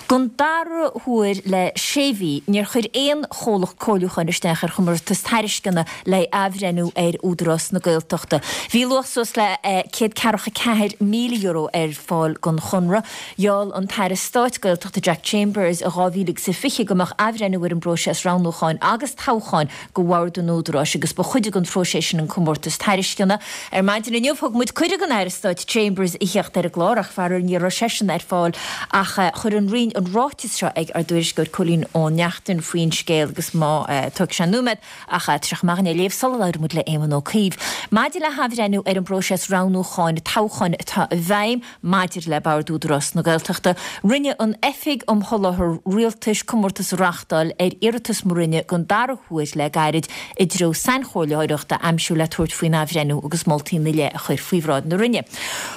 Don dara huair le sé mhí, níor chuir aon chomhlacht comhairliúcháin isteach ar chomórtas tairisceana le athbhreithniú ar Údarás na Gaeltachta. Bhí luach suas le céad ceathracha ceathair míle euro ar fáil don chonradh. Gheall an tAire Stáit Gaeltachta Jack Chambers i dhá mhíle agus a fiche go mbeadh athbhreithniú ar an bpróiseas roghnúcháin agus toghcháin go Bhord an Údaráis agus ba chuid den phróiseas sin an comórtas tairisceana. Ar maidin inniu thug muid cuireadh don Aire Stáit Chambers a theacht ar an gclár ach faraor ní raibh seisean ar fáil ach chuir an Roinn an ráiteas seo ag ár dtuairisceoir Cóilín Ó Neachtain faoin scéal agus má tógfaidh sé nóiméad ach tá sé chomh maith é a léamh sula labhraíonn muid le Éamon Ó Cuív. Maidir le hathbhreithniú ar an bpróiseas roghnúcháin toghcháin atá i bhfeidhm maidir le Bord Údarás na Gaeltachta, rinne an Oifig um Sholáthar Rialtais comórtas a reáchtáil ar iarratas mo Roinne den dara huair le gairid i dtreo sainchomhairleoireacht a aimsiú le tabhairt faoin athbhreithniú agus moltaí ina leith a chur faoi bhráid na Roinne.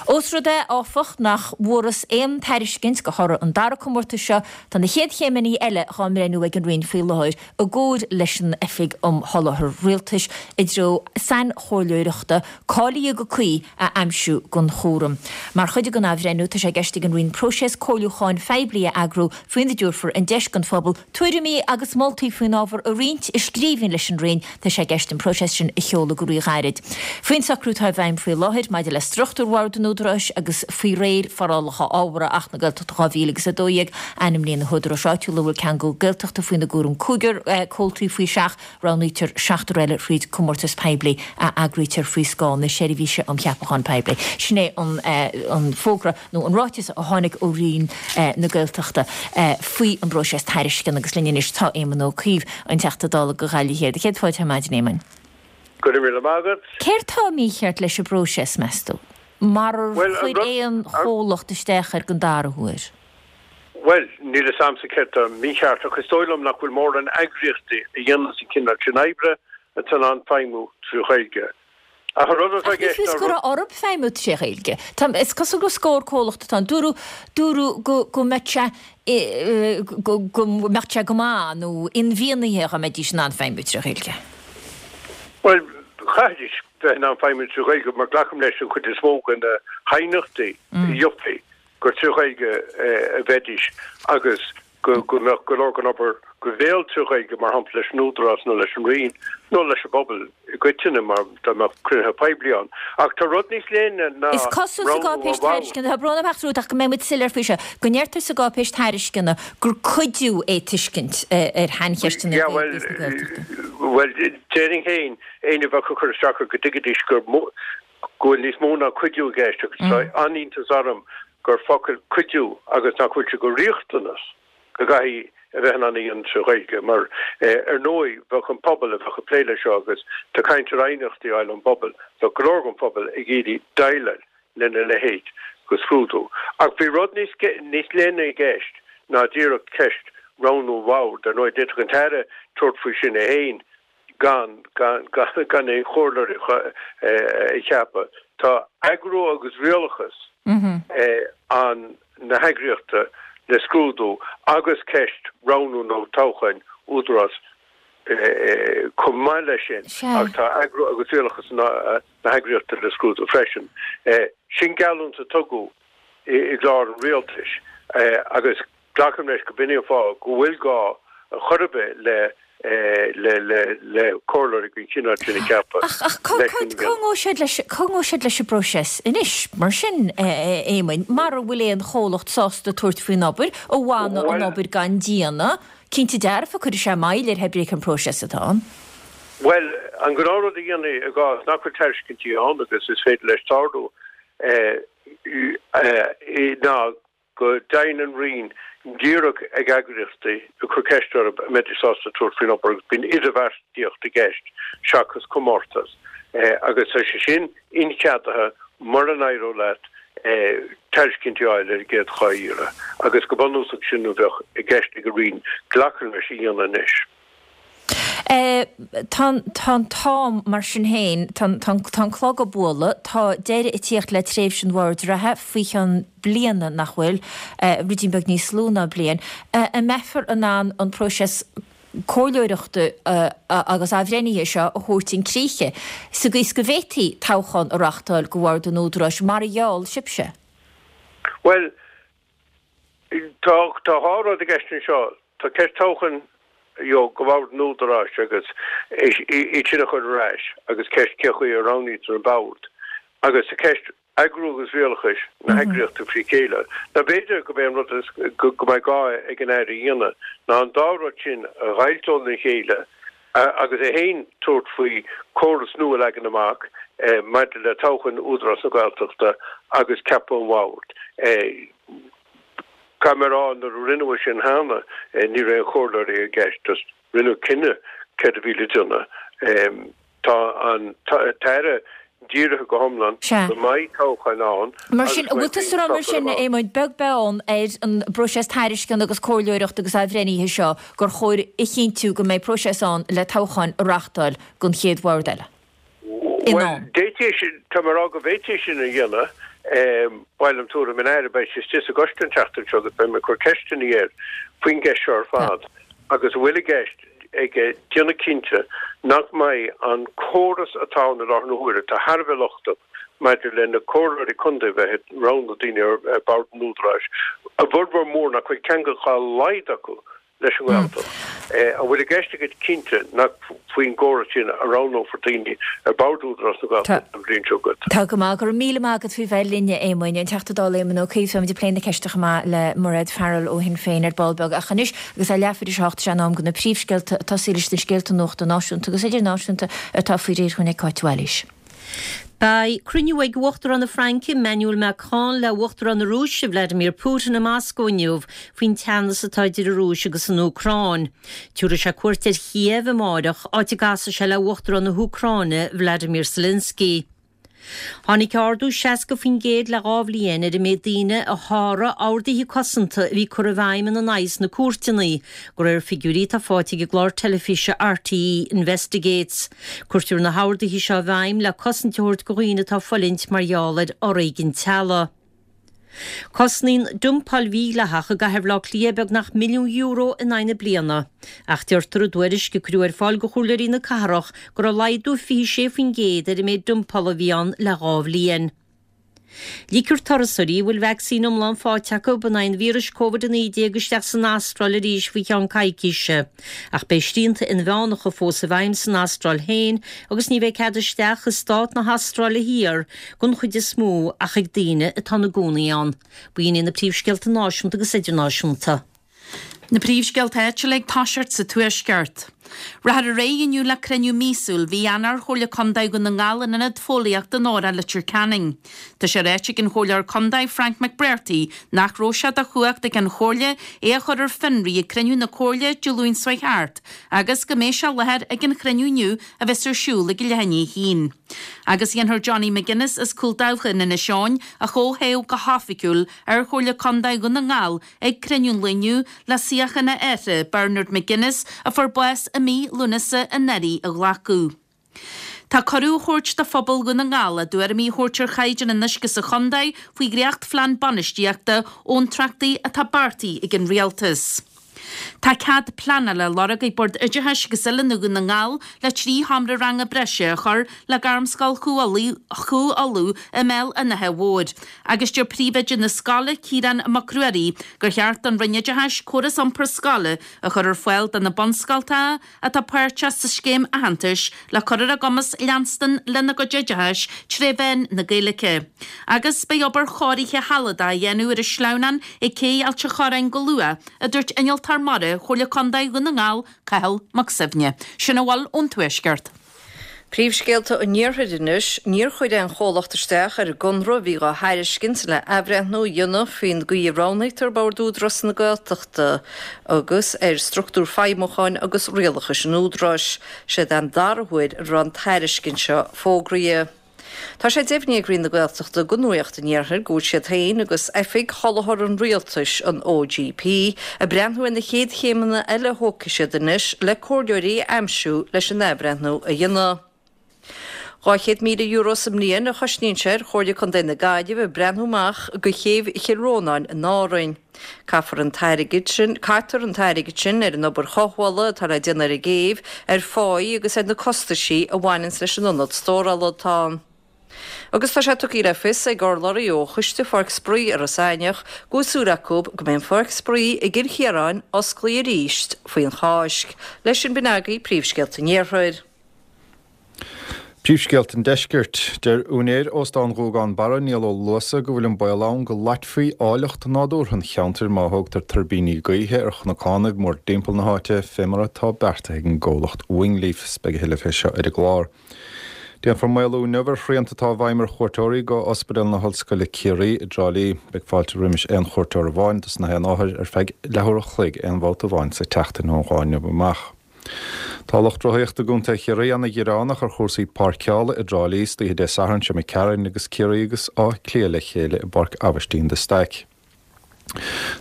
Ós rud é, áfach, nach bhfuarthas aon tairiscint de thoradh an dara comórtas seo, tá na chéad chéimeanna eile dhá mbreithniú ag an Roinn faoi láthair i gcomhar leis an Oifig um Sholáthar Rialtais i dtreo sainchomhairleoireachta cáilithe go cuí a aimsiú don chúram. Mar chuid den athbhreithniú, tá sé i gceist ag an Roinn próiseas comhairliúcháin phoiblí a eagrú faoina dtabharfar an deis don phobal tuairimí agus moltaí faoin ábhar a roinnt i scríbhinn leis an Roinn. Tá sé i gceist an próiseas sin a sheoladh go ríghairid. Faoin socrú atá i bhfeidhm faoi láthair maidir le struchtúr Bhord an Údaráis agus faoi réir forálacha ábhartha Acht na Gaeltachta dhá mhíle agus a dó dhéag, ainmníonn na húdaráis áitiúla a bhfuil ceangal Gaeltachta faoina gcúram cúigear comhaltaí faoi seach, roghnaítear seachtar eile thríd comórtas poiblí a eagraítear faoi scáth na Seirbhíse um Cheapachán Poiblí. Sin é an fógra nó an ráiteas a tháinig ó Roinn na Gaeltachta faoi an bpróiseas tairisceana agus linn anois tá Éamon Ó Cuív, an Teachta Dála do Ghaillimh Thiar. Céad fáilte ar maidin, Éamoin. Go raibh míle maith agat. Céard tá mícheart leis an bpróiseas, meas tú, marar chuir aon chomhlacht isteach air den dara huair? Bhuel, níl fhios a'msa céard tá mícheart ach is dóigh liom nach bhfuil mórán eagraíochtaí a dhéananns an cineál sin oibre atá in ann feidhmiú trí Ghaeilge. Ach an rud atá i Ach ní gceist fios ná go rud. raibh orthu feidhmiú tré Ghaeilge. Tá, is cosúil gur scór comhlacht atá ann. Dúradh, dúradh go, go mbeadh sé, go, go mbeadh sé go maith nó inmhianaithe dá mbeidís in ann feidhmiú tré Ghaeilge. Bhuel, chaithfidís bheith in ann feidhmiú trí Ghaeilge mar glacaim leis an chuid is mó de na haighneachtaí a gheofaí gur trí Ghaeilge a bheidís agus go go mbeadh go leor den obair go béal trí Ghaeilge, mar shampla leis an Údarás nó leis an Roinn nó leis an bpobal i gcoitinne mar dá mbeadh cruinnithe poiblí ann. Ach tá rud níos leithne ná Is cosúil sa roghnú an gcáipéis bhaill. tairisceana, tá brón orm a rá ach go mbeidh muid soiléir faoi seo, go ndeirtear sa gcáipéis tairisceana gur cuidiú é tuiscint ar shaincheisteanna Yeah, bhuel, Gaeilge is na Gaeltachta. bhuel, déarfainn féin, éinne a bheadh ag cur isteach air go dtuigfidís gur mó, go bhfuil níos mó ná cuidiú i gceist agus tá an-iontas orm gur focal cuidiú agus nach bhfuil sé go riachtanas go gcaithfidh a bheith in ann a dhéanamh trí Ghaeilge mar ar ndóigh bheadh an pobal a bheadh ag plé leis seo agus tá caint ar aighneachtaí a fháil ón bpobal, bheadh go leor den phobal ag iarraidh déileáil lena leithéid de scrúdú. Ach bhí rud níos níos leithne i gceist ná díreach ceist roghnú bhoird. Ar ndóigh d'fhéadfadh an tAire tabhairt faoi sin é féin gan gan gan aon chomhairleoir a cheapadh. Tá eagrú agus rialachas an na heagraíochta le scrúdú agus ceist roghnú nó toghcháin údarás chomh maith leis sin ach tá eagrú agus rialachas na heagraíochta le scrúdú freisin. Sin geallúint a tugadh i gclár an rialtais agus glacaim leis go b'in é an fáth go bhfuil gá ar chor ar bith le le le le comhairleoirí den chineál sin a cheapadh Ach ach cá leis cá an cá ngabhfaidh siad leis cá ngabhfaidh siad leis an bpróiseas anois mar sin a Éamoinn mara bhfuil aon chomhlacht sásta tabhairt faoin obair a bhainfeadh an Bhuel obair gan déanamh cinnte dearfa cuirfidh sé moill ar pé ar bith cén próiseas atá ann. Bhuel an gnáthrud a dhéanfaí i gcás nach bhfuil tairiscintí ann agus is féidir leis tarlú ná go dtéann an Roinn díreach ag eagraíochtaí ag cur ceist orthu an mbeidís sásta tabhairt faoin obair agus bíonn idirbheartaíocht i gceist seachas comórtas agus tá sé sin incheadaithe mura n-éireodh leat tairiscintí a fháil ar an gcéad dhá iarraidh agus go bunúsach sin a bheadh i gceist ag an Roinn glacaim leis a dhéanamh anois. Tá an t-am, mar sin féin, tá an clog ag bualadh, tá deireadh ag tíocht le tréimhse an bhoird reatha faoi cheann bliana, nach bhfuil? Ruidín beag níos lú ná bliain. An mbeifear in ann an próiseas comhairleoireachta agus athbhreithnithe seo a thabhairt chun críche, sa gcaoi is go bhféadfaí toghchán a reáchtáil go Bhord an Údaráis, mar a gheall sibhse? Bhuel, tá tá dhá rud i gceist anseo. Tá ceist toghchán you know, go Bhord an Údaráis agus iad sin a chur ar ais agus ceist cé chaoi a roghnaítear an bord. Agus tá ceist eagrú agus rialachais na heagraíochta frí chéile. Now b'fhéidir go b'é an rud is go mbeidh gá ag an Aire a dhéanamh ná an dá rud sin a dh'fháilt óna chéile agus é féin tabhairt faoi córas nua a leagan amach maidir le toghchán Údarás na Gaeltachta agus ceapadh an bhoird. Caithfidh mé a rá nuair a rinneadh é sin cheana ní raibh aon chomhairleoirí i gceist, just rinneadh cinneadh céard a bhí le déanamh. Tá an tAire dírithe go hiomlán go mbeidh toghchán ann Mar sin, an bhfuil tusa ag rá mar sin, a Éamoinn, beag beann ar an bpróiseas tairisceana agus comhairleoireachta agus athbhreithnithe seo, gur chóir a chinntiú go mbeidh próiseas ann le toghcháin a reáchtáil don chéad bhord eile? In Bhuel, am. d'fhéadfaí sin, tá mé ag rá go bhféadfaí sin a dhéanamh. Ba mhaith liom tuairim an Aire, beidh sé istigh sa gcoiste an tseachtain seo agus beidh mé ag cur ceisteanna air faoin gceist seo ar fad agus an bhfuil i gceist aige déanamh cinnte nach mbeidh an córas atá ann i láthair na huaire, atá thar a bheith lochtach maidir le na comhairleoirí contae a bheith ag roghnú daoine ar bhord an Údaráis, a bhformhór mór nach bhfuil ceangal dá laghad acu leis an nGaeltacht. An bhfuil i gceist agat cinnte nach faoin gcóras sin a roghnófar daoine ar bhord Údarás na Gaeltachta an bhliain seo chugainn? Tá go maith. Go raibh míle maith agat faoi bheith linn, a Éamoinn. An Teachta Dála Éamon Ó Cuív, táimid ag plé na ceiste chomh maith le Mairéad Farrell ó Shinn Féin ar ball beag. Ach anois, agus é leathuair tar éis a hocht, is é an am do na príomhscéalta, ag tosaí leis na scéalta nuachta náisiúnta agus idirnáisiúnta atá faoi réir chugainn ag Cáit Bhailís. Beidh cruinniú ag Uachtarán na Fraince, Emmanuel Macron, le Uachtarán na Rúise, Vladimir Putin, i Moscó inniu faoin teannas atá idir an Rúis agus an Úcráin. Tabharfaidh sé cuairt ar Chíév amáireach, áit a gcasfaidh sé le Uachtarán na hÚcráine, Vladimir Zelensky. Tháinig ardú seasca faoin gcéad le dhá bhliain ar an méid daoine a sháraigh orduithe cosanta a bhí curtha i bhfeidhm ina n-aghaidh sna cúirteanna, de réir figiúirí atá faighte ag an gclár teilifíse RTÉ Investigates. Cuirtear na horduithe seo i bhfeidhm le cosaint a thabhairt do dhaoine atá ag fulaingt mar gheall ar fhoréigean teaghlaigh. Cosnaíonn dumpáil mhídhleathach i gcathair Bhaile Átha Cliath beagnach milliún euro in aghaidh na bliana. Ach deirtear i dtuairisc a cuireadh ar fáil do chomhairleoirí na cathrach go raibh laghdú fiche sé faoin gcéad ar an méid dumpála a bhí ann le dhá bhliain. Ligfear turasóirí a bhfuil vacsaín iomlán faighte acu in aghaidh an víris Covid a naoi déag isteach san Astráil arís faoi cheann coicíse. Ach beidh srianta inmheánacha fós i bhfeidhm san Astráil féin agus ní bheidh cead isteach i stát na hAstráile Thiar den chuid is mó ach ag daoine atá ina gcónaí ann. B'in iad na príomhscéalta náisiúnta agus idirnáisiúnta. Na príomhscéalta áitiúla ag toiseacht sa Tuaisceart. Rachfar ar aghaidh inniu le cruinniú míosúil mhí Eanáir Chomhairle Contae Dhún na nGall in Ionad Fóillíochta Nóra, Leitir Ceanainn. Tá sé ráite ag an Chomhairleoir Contae Frank McBrearty nach raibh sé de chumhacht ag an Chomhairle é a chur ar fionraí ag cruinniú na Comhairle Dé Luain seo chuaigh thart agus go mbeidh sé i láthair ag an chruinniú inniu a bheas ar siúl ag a leath i ndiaidh a haon. Agus dhéanfar Johnny McGuinness as Cúil Dabhcha in Inis Eoghain a chomhthoghadh go hoifigiúil ar Chomhairle Contae Dhún na nGall ag cruinniú an lae inniu le suíochán a athar, Bernard McGuinness, a fuair bás i mí Lúnasa anuraidh, a ghlacadh. Tá cuireadh á thabhairt do phobal Dhún na nGall a dtuairimí a thabhairt ar chaighdeán an uisce sa chontae faoi dhréachtphlean bainistíochta abhantrachtaí atá beartaithe ag an Rialtas. Tá cead pleanála á lorg ag Bord Oideachais agus Oiliúna Dhún na nGall le trí sheomra ranga breise a chur le Gairmscoil Chú Uladh i mBéal an Átha Mhóir agus deir príomhoide na scoile, Ciarán Mac Ruairí, gur cheart don Roinn Oideachais córas iompair scoile a chur ar fáil do na bunscoltacha atá páirteach sa scéim aitheantais le cur ar a gcumas leanstan lena gcuid oideachais tré mheán na Gaeilge. Agus beidh obair chóirithe shealadach á dhéanamh ar an sleamhnán ag Cé Ailt a' Chorráin go luath, a dúirt Innealtóir Mara Chomhairle Contae Dhún na nGall, Cathal Mac Suibhne. Sin a bhfuil ón Tuaisceart. Príomhscéalta an Iarthair anois, Níor chuir aon chomhlacht isteach ar an gconradh a bhí dhá thairiscint le athbhreithniú a dhéanamh faoin gcaoi a roghnaítear Bord Údarás na Gaeltachta agus ar struchtúr feidhmiúcháin agus rialachais an Údaráis. Siod é an dara huair a raibh an tairiscint seo fógraithe. Tá sé deimhnithe ag Roinn na Gaeltachta do Nuacht an Iarthair go bhfuil siad féin agus Oifig Sholáthar an Rialtais, an OGP, ag breathnú ar na chéad chéimeanna eile a thógfaidh siad anois le comhairleoirí a aimsiú leis an athbhreithniú a dhéanamh. Dhá chéad míle euro sa mbliain a chosnaíonn sé ar Chomhairle Contae na Gaillimhe breathnú amach do chéibh Chill Rónáin in Árainn. Caithfear an t-airgead sin, caitear an t-airgead sin ar an obair chothabhála atá le déanamh ar an gcéibh, ar pháí agus ar na costaisí a bhaineanns leis an ionad stórála atá ann. Agus tá sé tugtha le fios ag urlabhraí ó Choiste Pháirc Spraoi Iorras Aithneach go bhfuil súil acu go mbeidh an Pháirc Spraoi i gCill Chiaráin osclaithe arís faoin Cháisc. Leis sin b'in agaibh príomhscéalta an Iarthair. Príomhscéalta an Deiscirt. Deir úinéir Óstán Ghuagán Barra, Niall Ó Luasa, go bhfuil an baol ann go loitfí áilleacht nádúrtha an cheantair má thógtar tuirbíní gaoithe ar chnocánaibh mórdtimpeall na háite, fé mar atá beartaithe ag an gcomhlacht Wingleaf. Beidh a thuilleadh fé seo ar an gclár. Déanfar maolú inniu ar shrianta atá i bhfeidhm ar chuairteoirí go Ospidéal na hOllscoile Ciarraí i dTrá Lí. Beidh fáilte roimis aon chuairteoir amháin dos na haon othar ar feadh leathuair a chloig aon bhabhta amháin sa tseachtain ón lá inniu amach. Tá lucht rothaíochta i gContae Chiarraí ana-ghearánach ar chúrsaí páirceála i dTrá Lí istoíche Dé Sathairn seo imigh tharainn agus Ciarraí agus Áth Cliath le chéile i bPáirc Aibhistín de Staic.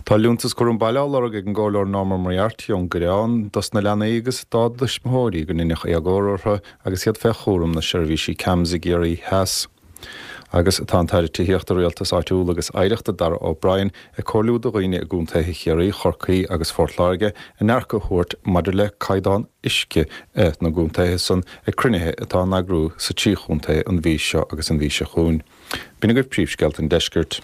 Tá liúntas cúram baile á lorg ag an gComhairleoir Norma Moriarty ón gCoireán dos na leanaí agus dá dtuismitheoirí go ndeineadh éagóir orthu agus iad fé chúram na seirbhísí CAMHS i gCiarraí Theas. Agus tá an tAire Tithíochta, Rialtais Áitiúil agus Oidhreachta, Darragh O'Brien, ag comhairliú do dhaoine i gcontaetha Chiarraí, Chorcaí agus Phort Láirge a ndearcadh a thabhairt maidir le caighdeán uisce na gcontaetha san ag cruinnithe atá á n-eagrú sa trí chontae an mhí seo agus an mhí seo chugainn. B'in agaibh príomhscéalta an deiscirt.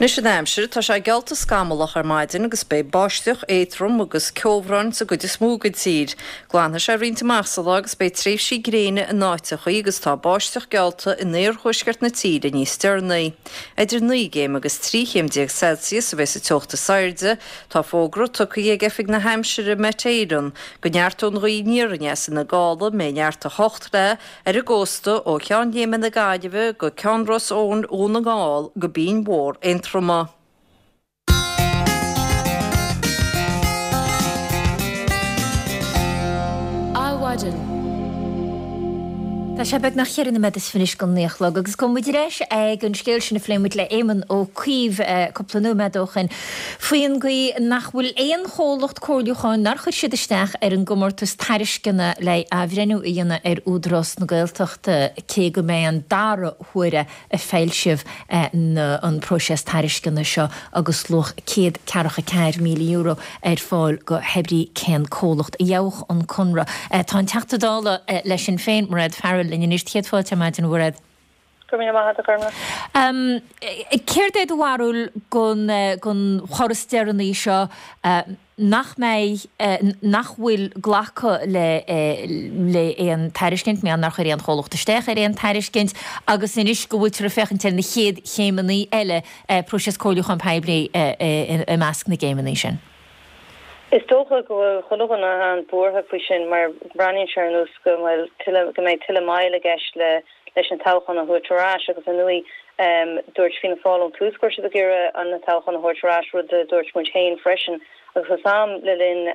Anois an aimsir, tá sé geallta scamallach ar maidin agus beidh báisteach éadrom agus ceobhrán sa gcuid is mó den tír. Glanfaidh sé roinnt amach sa lá agus beidh tréimhsí gréine in áiteachaí agus tá báisteach geallta in iarthuaisceart na tíre níos deireanaí. Idir naoi gcéim agus trí chéim déag Celsius a bheidh sa teocht is airde. Tá fógra tugtha ag Oifig na hAimsire Met Éireann go neartóidh an ghaoth aniar aneas ina gála a mbeidh neart a hocht le ar an gcósta ó Cheann Léime na Gaillimhe go Ceann Ros Eoghain Dhún na nGall go Binn Mhór Aontroma. Adhmhaidin. Tá sé beagnach cheithre nóiméad is fiche anois don naoi a chlog agus gabhfaidh muid ar ais ag an scéal sin a phléigh muid le Éamon Ó Cuív cúpla nóiméad ó shin faoin gcaoi nach bhfuil aon chomhlacht comhairliúcháin nár chuir siad isteach ar an gcomórtas tairisceana le athbhreithniú a dhéanamh ar Údarás na Gaeltachta cé go mbeidh an dara huair ag foilsiú an próiseas tairisceana seo agus luach céad ceathracha ceathair míle euro ar fáil do hébrí cén comhlacht a gheobhadh an conradh. Tá an Teachta Dála le Sinn Féin, Mairéad Farrell, linn anois. Céad fáilte ar maidin, a Mhairéad. Go raibh míle maith agat, a Ghormlaith. Céard é do bharúil den chor is deireanaí seo nach mbeidh, nach bhfuil glacadh le le aon tairiscint, mar nár chuir aon chomhlacht isteach ar aon tairiscint agus anois go bhfuiltear ag féachaint ar na chéad chéimeanna eile, próiseas comhairliúchán poiblí i measc na gcéimeanna sin? Is dócha go bhfuil chuile dhuine an-bhuartha faoi sin mar breathnaíonn sé ar nós go bhfuil tuilleadh, go mbeidh tuilleadh moill i gceist le leis an toghchán a thabhairt ar ais agus ar ndóigh dúirt Fianna Fáil ón tús go raibh siad ag iarraidh an toghchán a thabhairt ar ais, rud a dúirt muid féin freisin agus tá a fhios a'm le linn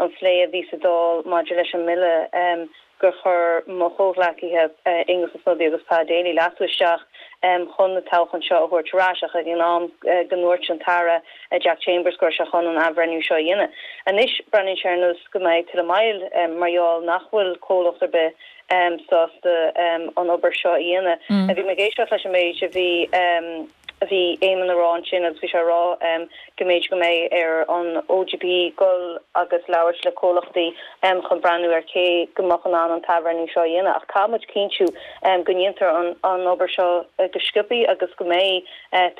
an phlé a bhí sa Dáil maidir leis an mbille gur chuir mo chomhghleacaithe Aengus Ó Snodaigh agus Pa Daly leasú isteach chun na toghchán seo a thabhairt ar ais ach ag an am go ndúirt an tAire Jack Chambers go raibh sé chun an athbhreithniú seo a dhéanamh. Anois breathnaíonn sé ar nós go mbeidh tuilleadh moill mar gheall nach bhfuil comhlacht ar bith sásta an obair seo a dhéanamh. Bhí mé ag éisteacht leis an méid a bhí a bhí Éamon a rá ansin agus bhí sé a rá go mb'fhéidir go mbeidh ar an OGP dul agus labhairt le comhlachtaí chun breathnú ar cé go mbeadh in ann an t-athbhreithniú seo a dhéanamh ach caithfidh muid cinntiú go ndéantar an obair seo go sciobtha agus go mbeidh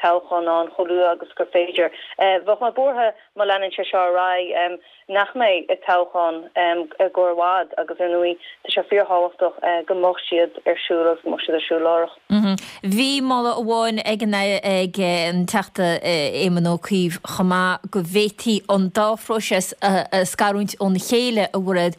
toghchán ann chomh luath agus gur féidir. Bheadh mé buartha má leanann sé seo ar aghaidh nach mbeidh toghchán i gcomhair i bhfad agus ar ndóigh tá sé fíorthábhachtach go mbeadh siad ar siúl agus go mbeadh siad ar siúl láithreach. Bhí moladh amháin ag an ag an Teachta Éamon Ó Cuív chomh maith go bhféadfaí an dá phróiseas a scarúint óna chéile a Mhairéad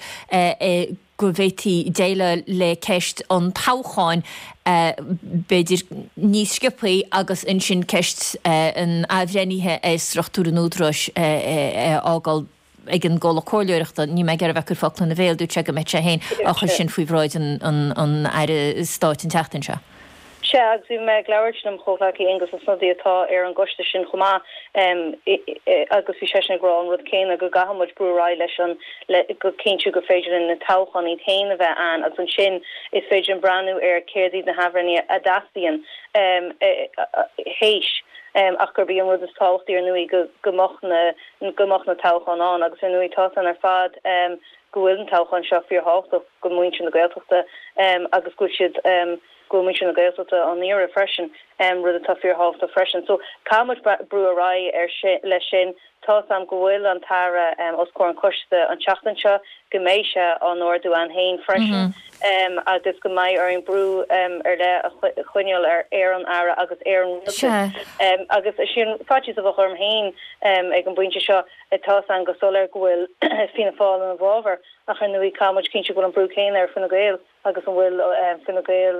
go bhféadfaí déileáil le ceist an toghcháin b'fhéidir níos sciobthaí agus ansin ceist an athbhreithnithe ar struchtúr an Údaráis a fhágáil ag an gcomhlacht comhairleoireachta. Níl mé ag iarraidh a bheith ag cur focla ina bhéal, dúirt sé go mbeadh sé féin á chur sin faoi bhráid an Aire Stáit an tseachtain seo. Sea, agus bhí mé ag labhairt lem chomhghleacaí Aengus Ó Snodaigh atá ar an gcoiste sin chomh maith agus bhí seisean ag rá an rud céanna, go gcaithfidh muid brú ar aghaidh leis an, le, go cinntiú gur féidir linn na toghcháin iad féin a bheith ann agus ansin is féidir linn breathnú ar céard iad na hathbhreithnithe a dteastaíonn théis ach gurb í an rud is tábhachtaí ar ndóigh go go mbeadh na, go mbeadh na toghcháin ann agus ar ndóigh tá san ar fad go bhfuil an toghchán seo fíorthábhachtach go muintir na Gaeltachta agus go bhfuil siad go bhfuil muintir na Gaeltachta á n-iarraidh freisin, rud atá fíorthábhachtach freisin. So, caithfidh muid brú ar aghaidh ar sin, leis sin. Tá 's a'm go bhfuil an tAire os comhair an choiste an tseachtain seo, go mbeidh sé á n-ardú ann féin freisin agus go mbeidh orainn brú ar leith a choinneáil ar ar an Aire agus ar an Rialtas. Agus sin faitíos a bheadh orm féin ag an bpointe seo, tá 's a'm go soiléir go bhfuil Fianna Fáil ina bhfabhar ach ar ndóigh caithfidh muid cinntiú go bhfuil an brú céanna ar Fine Gael. agus an bhfuil Fine Gael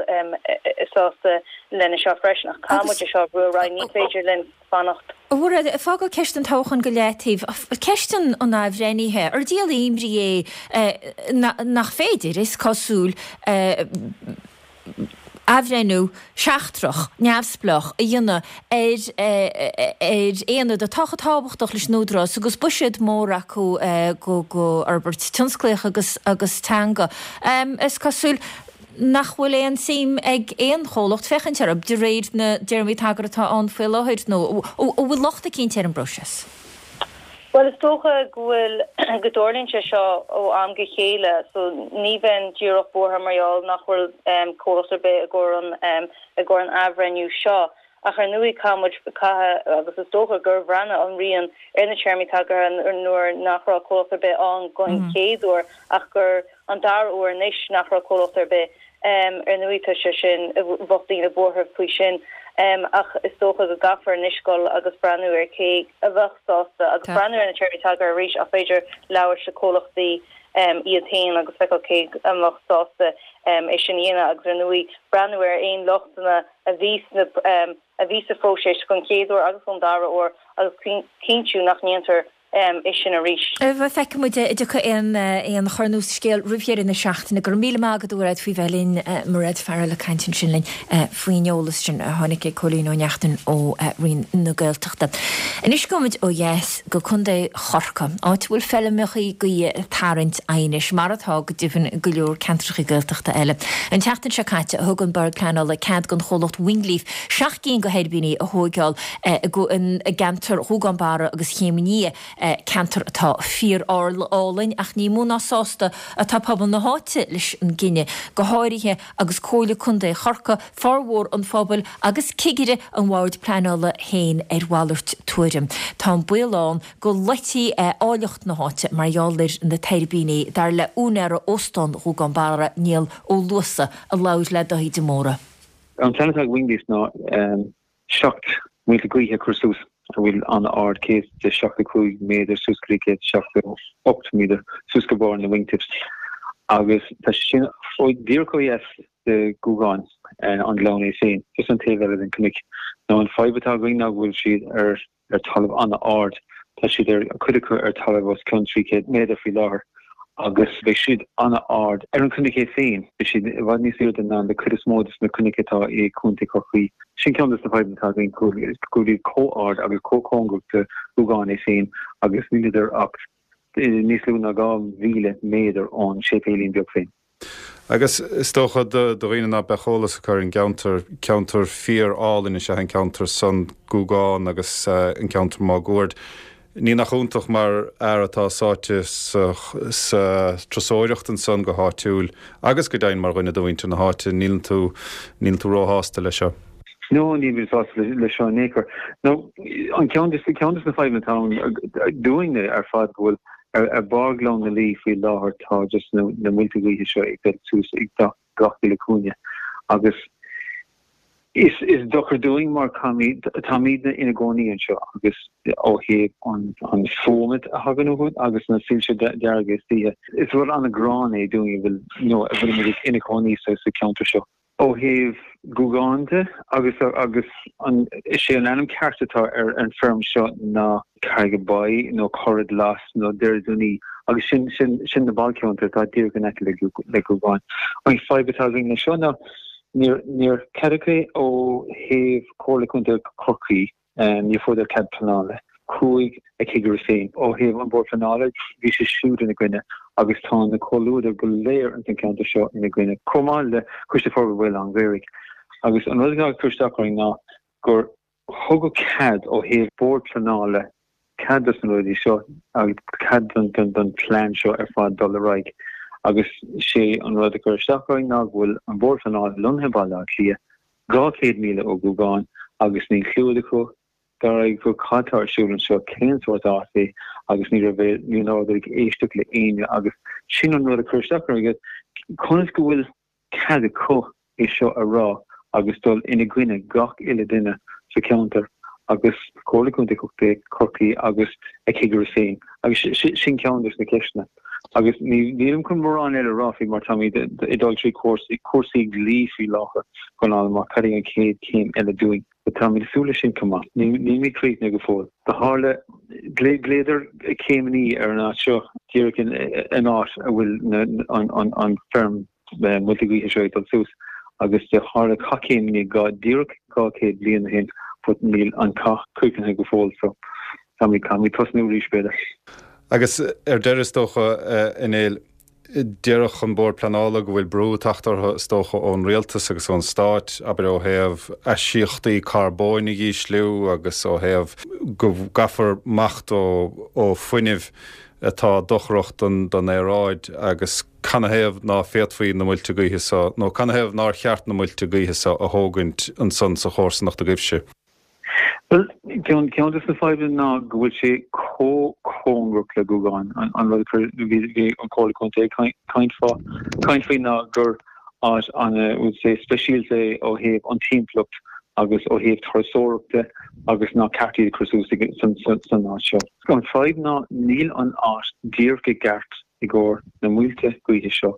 sásta lena seo freisin. Ach caithfidh muid é seo a bhrú ar aghaidh, ní féidir linn fanacht. A Mhairéad, ag fágáil ceist an toghcháin go leataobh, ceist an athbhreithnithe, ar díol imní é nach féidir, is cosúil, athbhreithniú seachtrach, neamhspleách a dhéanamh ar ar aonad atá chomh tábhachtach leis an Údarás agus buiséad mór acu go fhorbairt tionsclaíoch agus agus teanga. Is cosúil nach bhfuil aon suim ag aon chomhlacht féachaint orthu de réir na dtéarmaí tagartha atá ann faoi láthair nó an bhfuil locht eicínt ar an bpróiseas? Bhuel, is dócha go bhfuil, go dtarlaíonn sé seo ó am go chéile, so ní bheinn díreach buartha mar gheall nach bhfuil comhlacht ar bith i gcomhair an, i gcomhair an athbhreithniú seo. Ach ar ndóigh caithfidh muid, caithfidh, agus is dócha gur bhreathnaigh an Roinn ar na téarmaí tagartha nuair nach raibh comhlacht ar bith ann don chéad uair ach gur an dara huair anois nach raibh comhlacht ar bith. Ar ndóigh tá sé sin, bheadh daoine buartha faoi sin ach is dócha go gcaithfear anois dul agus breathnú ar cé a bheadh sásta agus breathnú ar na téarmaí tagartha arís ach b'fhéidir labhairt le comhlachtaí iad féin agus feiceáil cé a mbeadh sásta é sin a dhéanamh agus ar ndóigh breathnú ar aon lochtanna a bhí sna a bhí sa phróiseas don chéad uair agus don dara huair agus cinntiú nach ndéantar é sin arís. Feicfidh muid an dtiocfaidh aon aon chor nua sa scéal roimh dheireadh na seachtaine. Go raibh míle maith agat a Mhairéad faoi bheith linn. Mairéad Farrell ag caint ansin linn faoin eolas sin a tháinig ag Cóilín Ó Neachtain ó Roinn na Gaeltachta. Anois gabhfaimid ó dheas go Contae Chorcaí, áit a bhfuil feilmeachaí gaoithe ag tarraingt aighnis, mar atá go deimhin go leor ceantracha Gaeltachta eile. An tseachtain seo caite thug an Bord Pleanála cead don chomhlacht Wingleaf seacht gcinn de thuirbíní a thóigeáil i gceantar Ghúgán Barra agus Chéim an Fhia, ceantar atá fíor-álainn ach ní mó ná sásta atá pobal na háite leis an gcinneadh, go háirithe agus Comhairle Contae Chorcaí, formhór an phobail agus cigire an Bhoird Pleanála féin ar mhalairt tuairim. Tá an baol ann go loitfí áilleacht na háite mar gheall ar na tuirbíní, dar le úinéara Óstán Ghúgán Barra, Niall Ó Luasa, a labhair le Dáithí de Mórdha. An plean atá ag Wingleaf ná seacht muilte gaoithe a chur suas a bhfuil an-ard, céad is seachtó cúig méadar suas go dtí céad is seachtó ocht méadar suas go barr na wingtips agus tá sé sin díreach ó dheas de Ghúgán, an gleann é féin, just an taobh eile den chnoic. Now an fadhb atá againn ná go bhfuil siad ar ar talamh an-ard, tá siad ar, cuid acu ar talamh os cionn trí chéad méadar faoi láthair agus beidh siad an-ard ar an chnoic é féin, beidh siad i bhfad níos airde ná na cuid is mó de na cnoic atá i gContae Chorcaí. Sin ceann de na fadhbanna atá againn, go bhfuil siad chomh ard agus chomh cóngarach do Ghúgán é féin agus níleadar ach níos lú ná dhá mhíle méadar ón séipéilín beag féin. Agus is dócha do dhaoine ná beadh eolas acu ar an gceantar, ceantar fíor-álainn is ea an ceantar san, Gúgán agus an ceantar máguaird. Ní nach iontach mar fhear atá sáite sa turasóireacht ansan go háitiúil agus go deimhin mar dhuine de mhuintir na háite, níleann tú, níleann tú róshásta leis seo. No, níl mé sásta leis seo in aon chor. Now, an ceann de, ceann de na fadhbanna atá ann dúinne ar fad go bhfuil ar barr Ghleann na Laoi faoi láthair tá just na na muilte gaoithe seo ag dul suas ag gach uile cúinne agus is is dochar dúinn mar caithfimid táimidne ina gcónaí anseo agus ó thaobh an an fuaim a thagann uathu agus na soilse dearga istoíche is rud an-ghránna é dúinn a bhfuil you know a bhfuilimid ina cónaí sa sa ceantar seo. Ó thaobh Gúgán de, agus agus an is é an ainm ceart atá ar an feirm seo ná Carrigabuy nó Corrad Las nó Doire Dúnaí agus sin sin sin na bailcheantair atá díreach in aice le le Gúgán. An fadhb atá againn leis seo ná Níor níor ceadaíodh é ó thaobh Comhairle Contae Chorcaí, níor fuaireadar cead pleanála. Chuaigh a chigire féin ó thaobh an Bord Pleanála, bhí sé siúd ina gcoinne agus tá na comhluadair go léir ins an ceantar seo ina gcoinne, chomh maith le Coiste Forbartha Bhaile an Ghaorthaidh. Agus an rud atá ag cur isteach orainn ná gur thugadh cead ó thaobh Bord Pleanála cead dos na rudaí seo agus cead don don plean seo ar fad dul ar aghaidh agus sé an rud a chuir isteach orainn ná go bhfuil an Bord Pleanála lonnaithe i Baile Átha Cliath, dhá chéad míle ó Ghúgán agus níl clue acu dar acu cad tá ar siúl anseo, cén sórt áit é agus ní raibh ní rabhadar ag éisteacht le éinne agus sin an rud a chuir isteach orainn, conas go bhfuil cead acu é seo a rá agus dul ina gcoinne gach uile duine sa cheantar agus Comhairle Contae Chorcaí agus a chigire féin agus sin ceann de na ceisteanna. Agus nílim chun mórán eile a rá faoi mar táimid ag dul trí cúrsaí dlí faoi láthair chun fháil amach cad é an chéad chéim eile dúinn. But táimid ag súil leis sin chomh maith. Nílimid críochnaithe go fóill. Do tharla, ghlaodar céimní ar an áit seo díreach in áit a bhfuil an feirm muilte gaoithe seo ag dul suas agus do tharla cath céimní dhá díreach dhá chéad bliain ó shin but níl an cath críochnaithe go fóill so táimid caithfimid tosnú arís b'fhéidir. Agus ar deireadh is dócha, a Néill, déarfadh an Bord Pleanála go bhfuil brú ag teacht orthu is dócha ón rialtas agus ón stát, abair ó thaobh aisíochtaí carbóin a dhísliú agus ó thaobh go gcaithfear imeacht ó ó fuinneamh atá dochrach don don aeráid agus canathaobh ná féadfaí na muilte gaoithe so nó canathaobh nár cheart na muilte gaoithe so a thógaint ansan sa chomharsanacht agaibhse. Bhuel, ceann ceann de na fadhbanna ná go bhfuil sé chomh cóngarach le Gúgán. An rud a chuir bhí an Comhairle Contae ag caint fá caint faoi ná gur áit ana would say speisialta é ó thaobh an timpeallacht agus ó thaobh turasóireachta agus nár cheart iad a chur suas san san áit seo. An fadhb ná níl an áit díreach i gceart i gcomhair na muilte gaoithe seo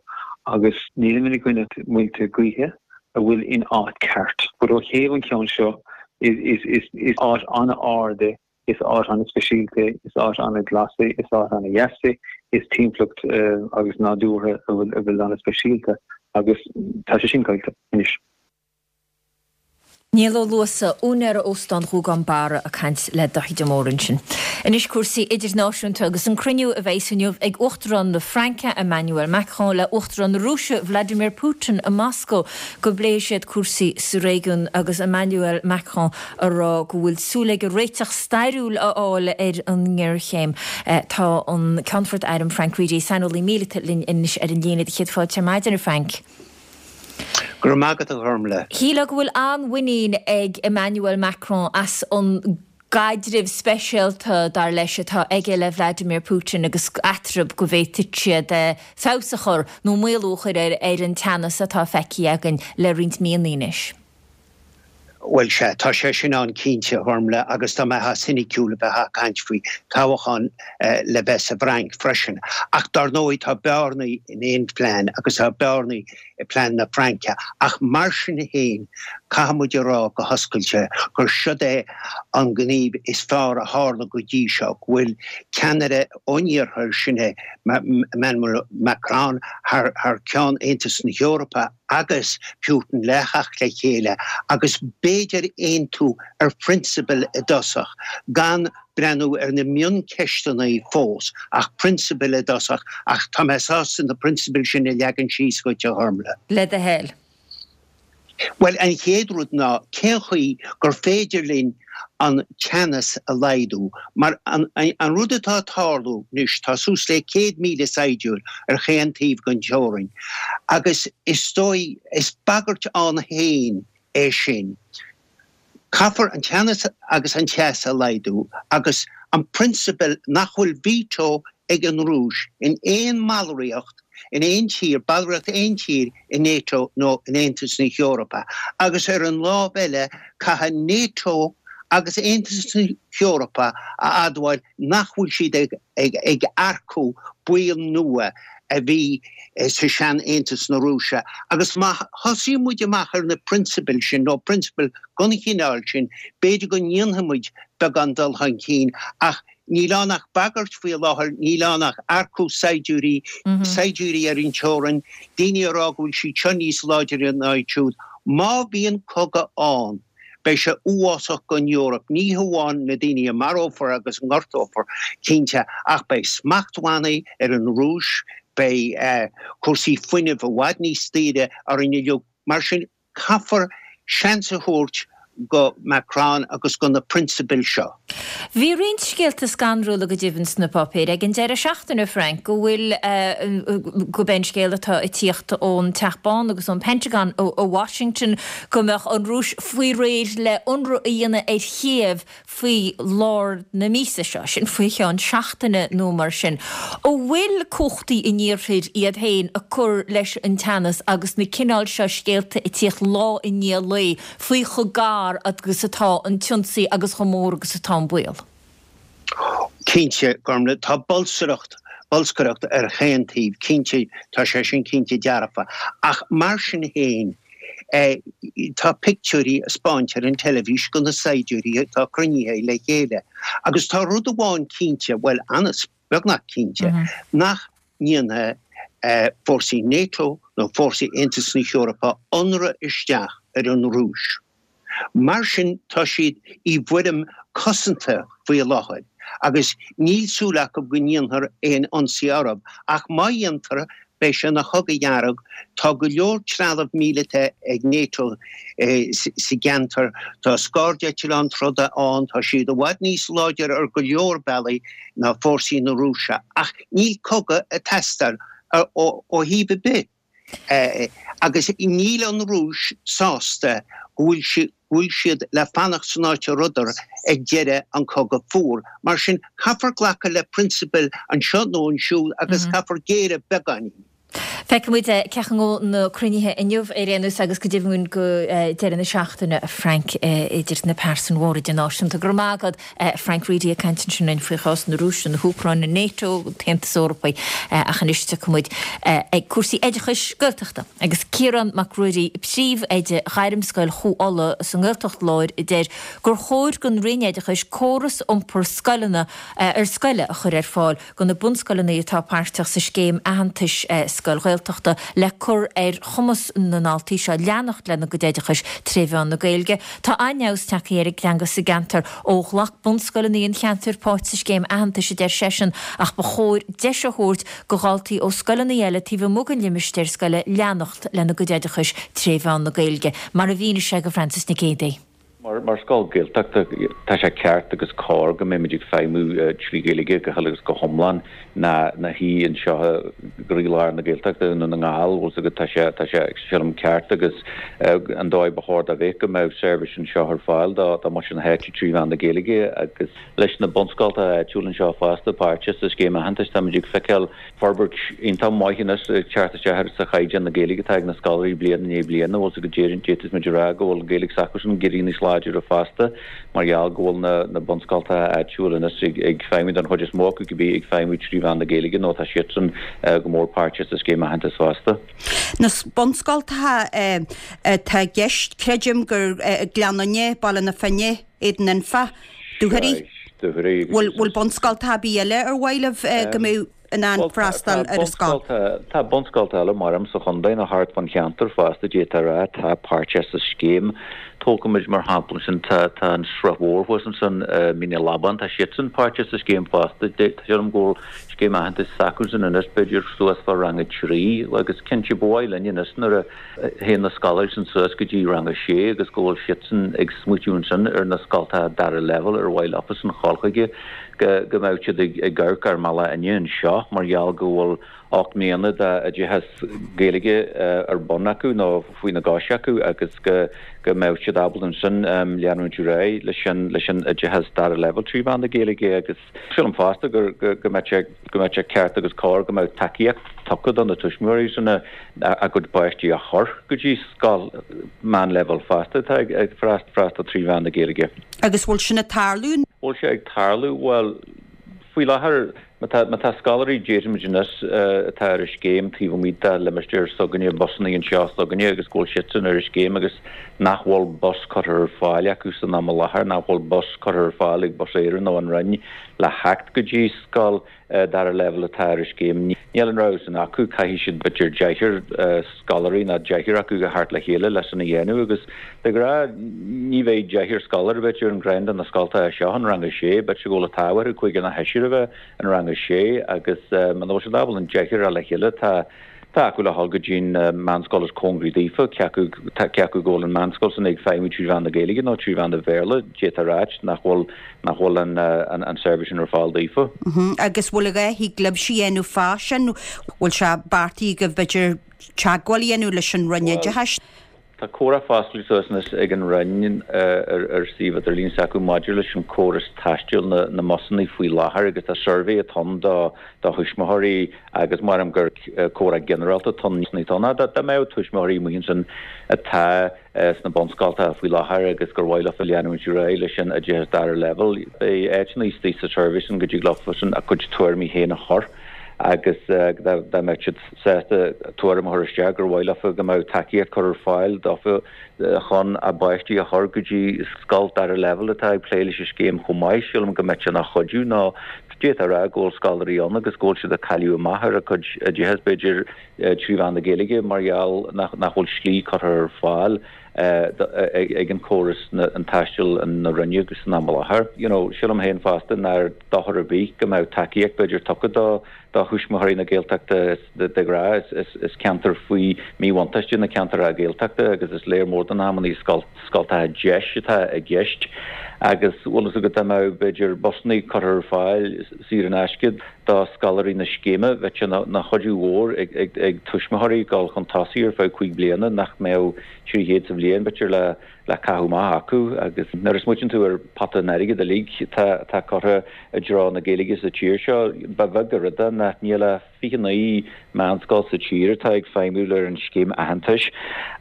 agus nílim ina gcoinne muilte gaoithe a bhfuil in áit ceart. But ó thaobh an ceann seo is is is áit an-ard é, is áit an-speisialta é, is áit an-ghlas é, is áit an-dheas é, is timpeallacht agus nádúrtha a bhfuil a bhfuil an-speisialta agus tá sé sin caillte anois. Niall Ó Luasa, úinéir Óstán Ghúgán Barra ag caint le Daithí de Mórdha ansin. Anois cúrsaí idirnáisiúnta agus an cruinniú a bheas inniu ag Uachtarán na Fraince Emmanuel Macron le Uachtarán na Rúise Vladimir Putin i Moscó go bpléifidh siad cúrsaí sa réigiún agus Emmanuel Macron ag rá go bhfuil súil aige réiteach stairiúil a fháil ar an ngéarchéim. Tá an Ceannfort Airm Frank Reidy, saineolaí míleata linn anois ar an líne. Céad fáilte ar maidin a Frank. Go raibh maith agat a Ghormlaith. Shílfeá go bhfuil an-mhuinín ag Emmanuel Macron as an gcaidreamh speisialta, dar leis, atá aige le Vladimir Putin agus eatarthu go bhféadfadh siad feabhas a chur nó maolú a chur ar an teannas atá feicthe againn le roinnt míonna anois. Bhuel, sea, tá sé sin ann cinnte, a Ghormlaith, agus dá mbeifeá soiniciúil bheifeá ag caint faoi toghchán le bheith sa bhFrainc freisin. Ach dar ndóigh tá bearnaí in aon phlean agus tá bearnaí i bplean na Fraince. Ach mar sin féin, caithfidh muid a rá go hoscailte gur siod é an gníomh is fearr a tharla go dtí seo, go bhfuil ceannaire ón Iarthar, sin é Emmanuel Macron, thar ceann Aontas na hEorpa, agus Putin le theacht le chéile agus b'fhéidir aontú ar phrionsabail i dtosach, gan breathnú ar na mioncheisteanna fós, ach prionsabail i dtosach, ach tá mé sásta na prionsabail sin a leagan síos dhuit, a Ghormlaith. Le do thoil. Bhuel, an chéad rud ná cén chaoi gur féidir linn an teannas a laghdú, mar an rud atá ag tarlú anois, tá suas le céad míle saighdiúir ar chaon taobh den teorainn agus is dóigh, is bagairt ann féin é sin. Caithfear an teannas agus an teas a laghdú agus an prionsabal nach bhfuil veto ag an Rúis in aon mballraíocht in aon tír, ballraíocht aon tír i NATO nó in Aontas na hEorpa agus ar an lámh eile caithfidh NATO agus Aontas na hEorpa a admháil nach bhfuil siad ag earcú baill nua a bhí sa sean-Aontas na Rúise agus má thosaíonn muid amach ar na prionsabail sin nó prionsabail den chineál sin b'fhéidir go ndéanfaidh muid beagán dul chun cinn ach Níl ann ach bagairt faoi láthair, níl ann ach earcú saighdiúirí, saighdiúirí ar an teorainn, daoine ag rá go bhfuil siad seo níos láidre ná iad siúd. Má bhíonn cogadh ann, beidh sé uafásach don Eoraip, ní hamháin na daoine a marófar agus a ngortófar, cinnte, ach beidh smachtbhannaí ar an Rúis, beidh cúrsaí fuinnimh i bhfad níos daoire orainn uilig. Mar sin, caithfear seans a thabhairt go Macron agus go na prionsabail seo. Bhí roinnt scéalta scanrúla go deimhin sna páipéir ag an deireadh seachtaine, Frank, go bhfuil, gurb é an scéal atá ag tíocht ón Teach Bán agus ón Pentagon i Washington go mbeadh an Rúis faoi réir le ionradh a dhéanamh ar Chíév faoi lár na míosa seo, sin faoi cheann seachtaine nó mar sin. An bhfuil cumhachtaí an Iarthair iad féin ag cur leis an teannas agus na cineál seo scéalta ag tíocht lá i ndiaidh lae faoi chomh gar agus atá an t-ionsaí agus chomh mór agus atá an baol? Cinnte, Gormlaith, tá bolsaireacht bolscaireacht ar chaon taobh, cinnte, tá sé sin cinnte dearfa. Ach mar sin féin, tá pictiúirí a 'spáint ar an teilifís go na saighdiúirí atá cruinnithe le chéile. Agus tá rud amháin cinnte, bhuel, an-, beagnach cinnte, nach ndéanfaidh fórsaí NATO nó fórsaí Aontas na hEorpa ionradh isteach ar an Rúis. Mar sin tá siad i bhfoirm cosanta faoi láthair agus níl súil acu go ndéanfar aon ionsaí orthu. Ach má dhéantar, beidh sé ina chogadh dearg. Tá go leor trealamh míleata ag NATO sa gceantar, tá scairdeitleáin troda ann, tá siad i bhfad níos láidre ar go leor bealaí ná fórsaí na Rúise. Ach níl cogadh ag teastáil ó thaobh ar bith. Agus níl an Rúis sásta go bhfuil go bhfuil siad le fanacht san áit a rabhadar ag deireadh an Cogadh Fuar. Mar sin, caithfear glacadh le prionsabail anseo nó ansiúd agus caithfear géilleadh beagáinín. Feicfidh muid cén chaoi a ngabhfaidh na cruinnithe inniu ar aon nós agus go deimhin go deireadh na seachtaine, a Frank, idir na pearsain mhóra idirnáisiúnta. Go raibh maith agat, Frank Reidy ag caint ansin linn faoi chás na Rúise, na hÚcráine, NATO, an tAontas Eorpaigh ach anois tiocfaidh muid ag cúrsaí oideachais Gaeltachta. Agus Ciarán Mac Ruairí, príomhoide Ghairmscoil Chú Uladh sa nGaeltacht Láir a deir gur chóir don Roinn Oideachais córas iompar scoileanna ar scoile a chur ar fáil go na bunscoileanna atá páirteach sa scéim aitheantais Scoil Ghaeltachta le cur ar chumas na ndaltaí seo leanacht lena gcuid oideachais tré mheán na Gaeilge. Tá an-fheabhas tagtha ar an dteanga sa gceantar ó ghlac bunscoileanna an cheantair páirt sa scéim aitheantais a deir seisean ach ba chóir deis a thabhairt go dhaltaí ó scoileanna eile taobh amuigh den limistéar scoile leanacht lena gcuid oideachais tré mheán na Gaeilge, mar a mhínigh sé go Francis Nic Géadaigh. Mar mar scoil Gaeltachta tá sé ceart agus cóir go mbeimid ag feidhmiú trí Ghaeilge go huile agus go hiomlán na na hí anseo i gcroílár na Gaeltachta i nDún na nGall bhfuil agat tá sé tá sé sílim ceart agus an dóigh ba chóir dá bheith go mbeadh seirbhís anseo ar fáil do do muintir na háite trí mheán na Gaeilge agus leis na bunscoltacha áitiúla anseo fosta páirteach sa scéim aitheantais táimid ag feiceáil forbairt iontach maith anois ag teacht isteach sa chaighdeán na Gaeilge atá ag na scoláirí bliain i ndiaidh bliana bhfuil go dtéann d'fhéadfadh muid a rá go bhfuil Gaeilge s'acusan ag éirí níos láidre fosta mar gheall go bhfuil na na bunscoltacha áitiúla anois ag ag feidhmiú don chuid is mó acu go bí ag feidhmiú trí mheán na Gaeilge nó tá siadsan go mór páirteach sa scéim aitheantais fosta. Na bunscoltacha atá i gceist creidim gur Gleann Fhinne, Baile na Finne, Éadan Anfa, Dúchoraidh. Bhfuil bhfuil bunscoltacha ar bith eile ar mhaith libh go mbeadh in ann freastal ar an scoil? Tá bunscolta eile mar sa chontae nó thart fan cheantar fosta d'fhéadfá a rá tá páirteach sa scéim. Tógfaimid mar shampla sin tá tá an Srath Mhór thuas ansan Mín an Labáin tá siadsan páirteach sa scéim fosta. Sílim go bhfuil scéim aitheantais s'acusan anois b'fhéidir suas fá rang a trí agus cinnte ba mhaith linn anois nuair a théann na scoláirí sin suas go dtí rang a sé agus go bhfuil siadsan ag smaoitiú ansin ar na scoltacha dara leibhéal ar mhaith leofasan a ghabháil chuige go go mbeadh siad ag ag amharc ar mBaile Fhinne anseo mar gheall go bhfuil ocht mbliana d'oideachas Gaeilge ar bun acu nó faoina gcois acu agus go go mbeadh siad ábalta ansin leanúint ar aghaidh leis an leis an oideachas dara leibhéal trí mheán na Gaeilge agus sílim fosta gur go go mbeadh sé go mbeadh sé ceart agus cóir go mbeadh tacaíocht tugtha do na tuismitheoirí sin a a gcuid páistí a chur go dtí scoil meánleibhéal fosta atá ag ag freastal trí mheán na Gaeilge. Agus bhfuil sin ag tarlú? Bhfuil sé ag tarlú bhuel faoi láthair Má tá, má tá scoláirí, déarfaimid anois, atá ar an scéim taobh amuigh de limistéar s'againne, busanna anseo s'againne agus go bhfuil siadsan ar an scéim agus nach bhfuil bus curtha ar fáil acu san am i láthair, nach bhfuil bus curtha ar fáil ag Bus Éireann nó an Roinn le theacht go dtí scoil dara leibhéal atá ar an scéim. Níl an rogha sin acu, caithfidh siad b'fhéidir deichniúr scoláirí nó deichniúr acu a theacht le chéile leis sin a dhéanamh agus de ghnáth ní bheidh deichniúr scoláire b'fhéidir in gceann de na scoltacha seo in rang a sé, b'fhéidir go bhfuil an t-ádh orthu cúigear nó seisear a bheith in rang a sé agus muna bhfuil siad ábalta an deichniúr a fháil le chéile tá tá acu le dhul go dtí'n meánscoil is cóngaraí daofa, cé acu cé acu go bhfuil an meánscoil sin ag feidhmiú trí mheán na Gaeilge nó trí mheán an Bhéarla, d'fhéadfá a ráit nach bhfuil nach bhfuil an an an seirbhís sin ar fáil daofa. Agus bhfuil a dhath thig libhse a dhéanamh fá sin? Bhfuil sé beartaithe agaibh b'fhéidir teagmháil a dhéanamh leis an Roinn Oideachais? Tá comhrá foscailte suas anois ag an Roinn ar suíomh idirlín s'acu maidir leis an córas taistil na na mbusanna faoi láthair agus tá suirbhé atá ann do do thuismitheoirí agus maram gur comhrá ginearálta atá ann atá ann dá mbeadh tuismitheoirí amuigh ansin atá sna bunscoltacha faoi láthair agus gur mhaith leofa leanúint ar aghaidh leis an oideachas dara leibhéal. Beidh áiteanna istigh sa suirbhé sin go dtig leofasan a gcuid tuairimí féin a chur agus dá mbeadh siad sásta tuairim a chur isteach gur mhaith leofa go mbeadh tacaíocht curtha ar fáil dófa chun a bpáistí a chur go dtí scoil dara leibhéal atá ag plé leis an scéim chomh maith. Sílim go mbeadh sé ina chuidiú nó d'fhéadfá a rá go bhfuil scoláirí ann agus go bhfuil siad ag cailleadh amach ar a gcuid oideachas, b'fhéidir trí mheán na Gaeilge mar gheall nach bhfuil slí curtha ar fáil ag an córas an taistil na Roinne agus san am i láthair. You know, sílim féin fosta nár dochar ar bith go mbeadh tacaíocht b'fhéidir tugtha do do thuismitheoirí na Gaeltachta de ghnáth. Is is ceantar faoi míbhuntáiste na ceantair Gaeltachta agus is léir mór den amannaí scoltacha deis atá i gceist agus bhfuil fhios agat dá mbeadh b'fhéidir busannaí curtha ar fáil saor in aisce do scoláirí na scéime bheadh sé ina chuidiú mhór ag ag ag tuismitheoirí dul chun tosaigh ar feadh cúig bliana nach mbeadh trí chéad sa bhliain, b'fhéidir, le le caitheamh amach acu agus nuair a smaoitíonn tú ar pota an airgid uilig atá atá curtha i dtreo na Gaeilge sa tír seo, ba bheag an rud é nach níl ach fiche naoi meánscoil sa tír atá ag feidhmiú ar an scéim aitheantais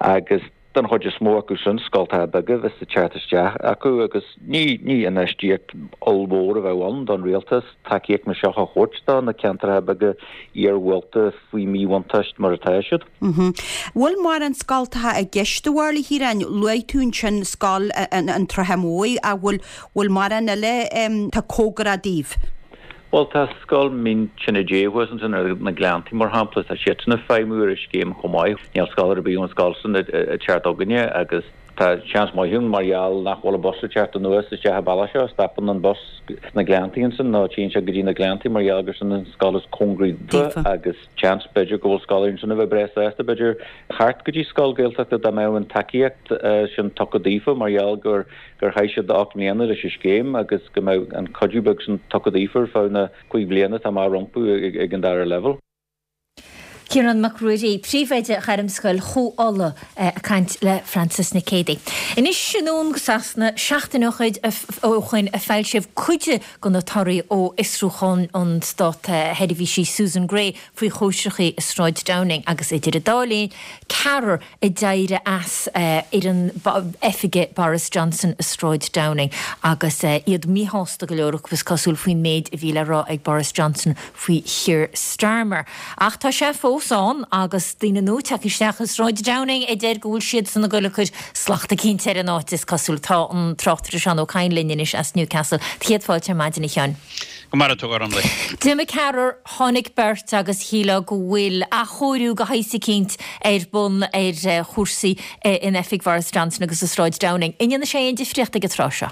agus den chuid is mó acu sin scoltacha beaga a bheas ag teacht isteach acu agus ní ní infheistíocht ollmhór a bheadh ann don rialtas tacaíocht mar seo a thabhairt do na ceantracha beaga iarghúlta faoi mhíbhuntáiste mar atá siad. Bhfuil mórán scoltacha i gceist a bharúil, a Chiaráin? Luaigh tú ansin scoil an tSratha Mhóir ach bhfuil bhfuil mórán eile atá cóngarach daoibh? Bhuel tá scoil Mín Tine Dé thuas ansin ar na Gleanntaí mar shampla, tá siadsan ag feidhmiú ar an scéim chomh maith. Níl scoláire ar bith ón scoil sin ag teacht chugainne agus tá seans maith ann mar gheall nach bhfuil an bus ag teacht anuas isteach an bealach seo, stopann an bus sna Gleanntaí ansin nó téann sé go dtí na Gleanntaí mar gheall gur sin an scoil is cóngaraí daofa agus seans b'fhéidir go bhfuil scoláirí ansin a bheadh breá sásta b'fhéidir theacht go dtí scoil Gaeltachta dá mbeadh an tacaíocht sin tugtha daofa mar gheall gur gur chaith siad ocht mbliana leis an scéim agus go mbeadh an cuidiú beag sin tugtha daofa ar feadh na cúig bliana atá amach rompu ag an dara leibhéal. Ciarán Mac Ruairí, Príomhoide Ghairmscoil Chú Uladh ag caint le Frances Nic Géadaigh. Anois anonn go Sasana, seachtain ó shoin a foilsíodh cuid de na torthaí ó fhiosrúchán an Stát-Sheirbhísí Susan Gray faoi chóisreachaí i Sráid Downing agus idir an dá linn, ceathrar a d'éirigh as fhoireann oifige Boris Johnson i Sráid Downing agus iad míshásta go leor acu is cosúil faoin méid a bhí le rá ag Boris Johnson faoi Keir Starmer. Ach tá sé fós ann agus daoine nua tagtha isteach i Sráid Downing a deir go bhfuil siadsan ag goil ag cur slacht eicínt ar an áit is cosúil. Tá an tráchtaire Seán Ó Cadhain linn anois as Newcastle. Céad fáilte ar maidin a Sheáin. Go maire tú a Ghormlaith. D'imigh ceathrar, tháinig beirt agus shílfeá go bhfuil athchóiriú de shaghas eicínt ar bun ar chúrsaí in oifig Bhoris Johnson agus i Sráid Downing. An ndéanfaidh sé aon difríocht ag an tráth seo?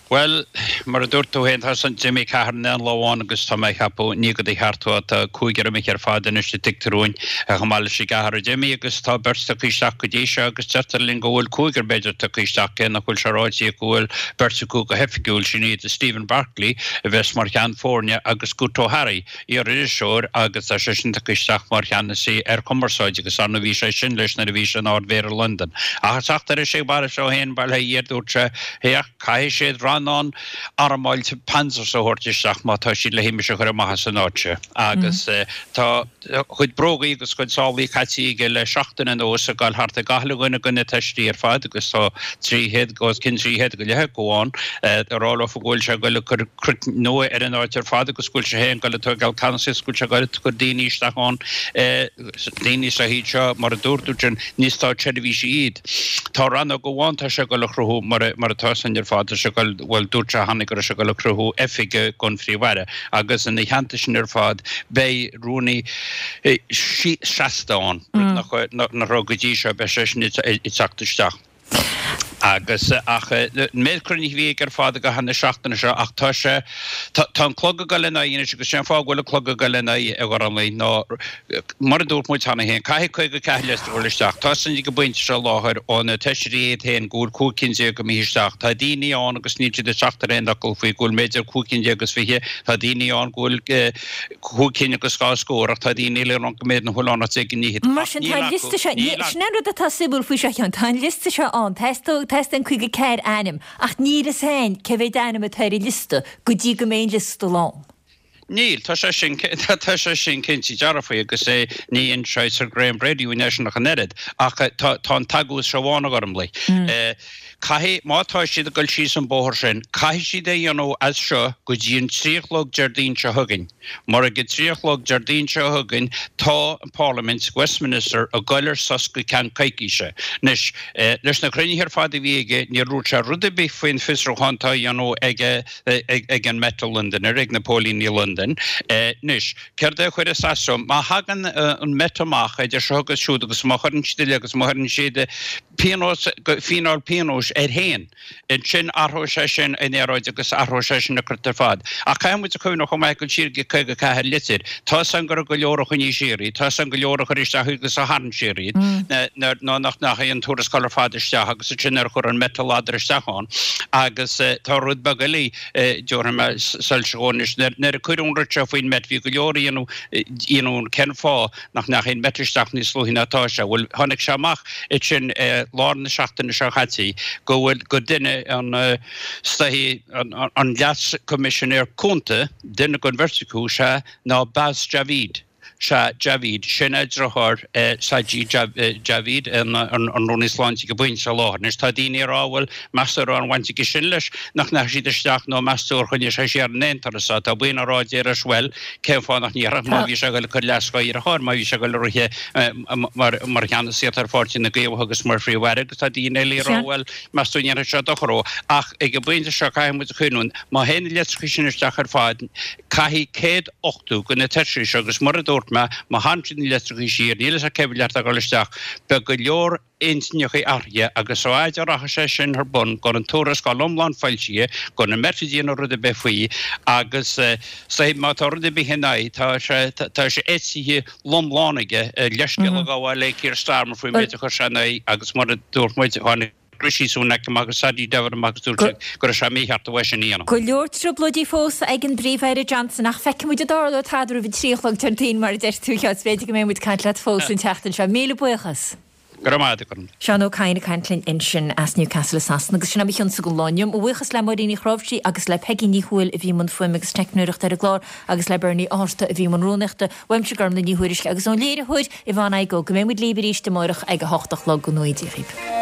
Bhuel, mar a dúirt tú féin, tá san, d'imigh ceathrar in aon lá amháin agus tá mé ag ceapadh, ní go do cheart tú, tá cúigear imithe ar fad anois a tuigtear dúinn, chomh maith leis an gceathrar a d'imigh agus tá beirt tagtha isteach go dtí seo agus deirtear linn go bhfuil cúigear b'fhéidir tagtha isteach cé nach bhfuil sé ráite go bhfuil beirt acu go hoifigiúil, sin iad Stephen Barclay a bheas mar cheann foirne agus Guto Harri, iar-iriseoir agus tá seisean tagtha isteach mar cheannasaí ar chumarsáid agus ar ndóigh bhí sé sin leis nuair a bhí sé ina Ard-Mhéara Londain. Ach ag teacht ar ais ag Boris é féin, bail ó Dhia air, dúirt sé, féach, caithfidh siad rannchuidiú maith in ann armáilte panzers a thabhairt isteach má tá siad le himir a chur amach as an áit seo. Agus tá a chuid brógaí agus a chuid sálaí caite aige le seachtain anuas ag dul thart ag gach uile dhuine de na teistí ar fad agus tá trí chéad, os cionn trí chéad go leith acu ann, ag rá leofa go bhfuil sé ag dul ag cur cruit nua ar an áit ar fad agus go bhfuil sé féin ag dul ag tógáil ceannasaíocht go bhfuil sé ag dul ag cur daoine isteach ann, daoine sa iad seo mar a dúirt tú sin, ní státseirbhísigh iad. Tá rannóg amháin tá sé ag dul a chruthú mar mar atá san ar fad, tá sé ag dul, bhuel dúirt sé cheana go raibh sé ag dul a chruthú oifig don Phríomh-Aire agus ina theannta sin ar fad beidh rúnaí seasta ann, rud nach raibh go dtí seo, beidh sé sin ag teacht isteach. Agus, ach, an méid cruinnithe a bhí aige ar fad i gcaitheamh na seachtaine seo, ach tá sé, tá, tá an clog ag dul ina aghaidh anois agus sé an fáth go bhfuil an clog ag dul ina aghaidh, a Ghormlaith, ná, mar a dúirt muid cheana féin, caithfidh caoga ceathair litir a dhul isteach. Tá san ag an bpointe seo i láthair ó na Feisirí iad féin go bhfuil cúig cinn déag imithe isteach. Tá daoine ann agus níl siad ag teacht ar aon fhocal faoi go bhfuil b'fhéidir cúig cinn déag agus fiche, tá daoine ann go bhfuil cúig cinn agus dhá scór ach tá daoine eile ann go mb'fhéidir nach bhfuil ann ach deich gcinn fhichead. Mar sin, tá an liosta seo, sin an rud atá suimiúil faoi seo, a Sheáin, tá an liosta seo ann, teastaíonn caoga ceathair ainm, ach níl fhios a'inn cé mhéad ainm atá ar an liosta go dtí go mbeidh an liosta lán. Níl, tá sé sin, tá sé sin cinnte dearfa agus é, ní inseoidh Sir Graham Brady dúinn é sin ach an oiread, ach tá, tá an t-agús seo amháin, a Ghormlaith. Caithfidh, má tá siad ag dul síos an bóthar sin, caithfidh siad é a dhéanamh as seo go dtí an trí a chlog Déardaoin seo chugainn. Mar ag a trí a chlog Déardaoin seo chugainn tá an Pharlaimint, Westminster, ag goil ar sos go ceann coicíse. Anois, leis na cruinnithe ar fad a bhí aige, níor dhúirt sé rud ar bith faoin fiosrúchán atá á dhéanamh ag an Met i Londain air, ag na póilíní i Londain. Anois, céard é a chuirfeas as dó? Má thagann an Met amach idir seo agus siúd agus má chuireann siad uile agus má chuireann siad pionós, fíneáil pionóis air féin, Ansin athróidh sé sin an aeráid agus athróidh sé sin an cruit ar fad. Ach caithfidh muid a chuimhneamh chomh maith go siar go caoga ceathair litir. Tá 'fhios a'm go raibh go leor a choinnigh siar iad, tá 'fhios a'm go leor a chuir isteach iad agus a tharraing siar iad, nó nach ndeachaigh an tuarascáil ar fad isteach agus ansin nár chuir an Met a ladar isteach ann. Agus tá rud beag eile, déarfaidh mé, soilse dhó anois, nuair a cuireadh an rud seo faoin Met, bhí go leor a dhéanamh cén fáth nach ndeachaigh an Met isteach níos luaithe ná atá sé. Bhuel, tháinig sé amach ansin i lár na seachtaine seo caite go bhfuil, gur duine an, is dóichí, an Leas-Choimisinéir Cúnta, duine den bheirt acu, sea, ná Baz Javid. Sea, Javid, sin é deartháir Sajid Javid, an Rúnaí Sláinte ag an bpointe seo i láthair. Anois, tá daoine ag rá, bhuel, meas tú an raibh aon bhaint aige sin leis, nach ndeachaigh siad isteach nó meas tú ar choinnigh sé siar in aon turas? Tá daoine ag rá, déarfas, bhuel, cén fáth nach ndéarfadh má bhí sé ag dul ag cur leas dá dheartháir, má bhí sé ag dul ag rith mar cheannasaí ar Pháirtí na gCaomhach agus mar Phríomh-Aire agus tá daoine eile ag rá, bhuel, meas tú an ndéanfaidh sé dochar dó. Ach ag an bpointe seo caithfidh muid a chuimhniú, má théann na litreacha sin isteach ar fad, caithfidh céad ochtó de na Taoisigh seo agus mar a dúirt mé, má tharraing siad na litreacha siar, níl fhios a'm cé mhéad atá ag dul isteach, beidh go leor intinneacha athraithe agus a fhaid a rachaidh sé sin ar bun gan an tuarascáil iomlán foilsithe, gan an Met ag déanamh rud ar bith faoi agus má tá rud ar bith ina aghaidh, tá sé tá sé eisithe lomlán aige, leithscéal a ghabháil le Keir Starmer faoin méid a chuir sé ina aghaidh agus mar a dúirt muid, tháinig Rishi Sunak amach agus Sajid Javid amach agus dúirt siad go raibh sé mícheart uaidh sin a dhéanamh. Go leor trioblóidí fós ag an bPríomh-Aire Johnson ach feicfidh muid an dtarlóidh tada roimh a trí a chlog Déardaoin mar a deir tú, a Sheáin. B'fhéidir go mbeidh muid ag caint leat fós an tseachtain seo. Míle buíochas. Go raibh maith agat. Seán Ó Cadhain ag caint linn ansin as Newcastle i Sasana agus sin é mo chionsa don lá inniu. Mo bhuíochas le Máirín Uí Chnáimhsí agus le Peigí Ní Thuathail a bhí i mbun fuaime agus teicneoireachta ar an gclár agus le Bernie Ó hArta a bhí i mbun rúnaíochta. Uaimse Gormlaith Ní Thuairisg agus ón léiritheoir Yvonne Igoe go mbeidh muid libh arís amárach ag a hocht a chlog. Go ngnóthaí Dia dhaoibh.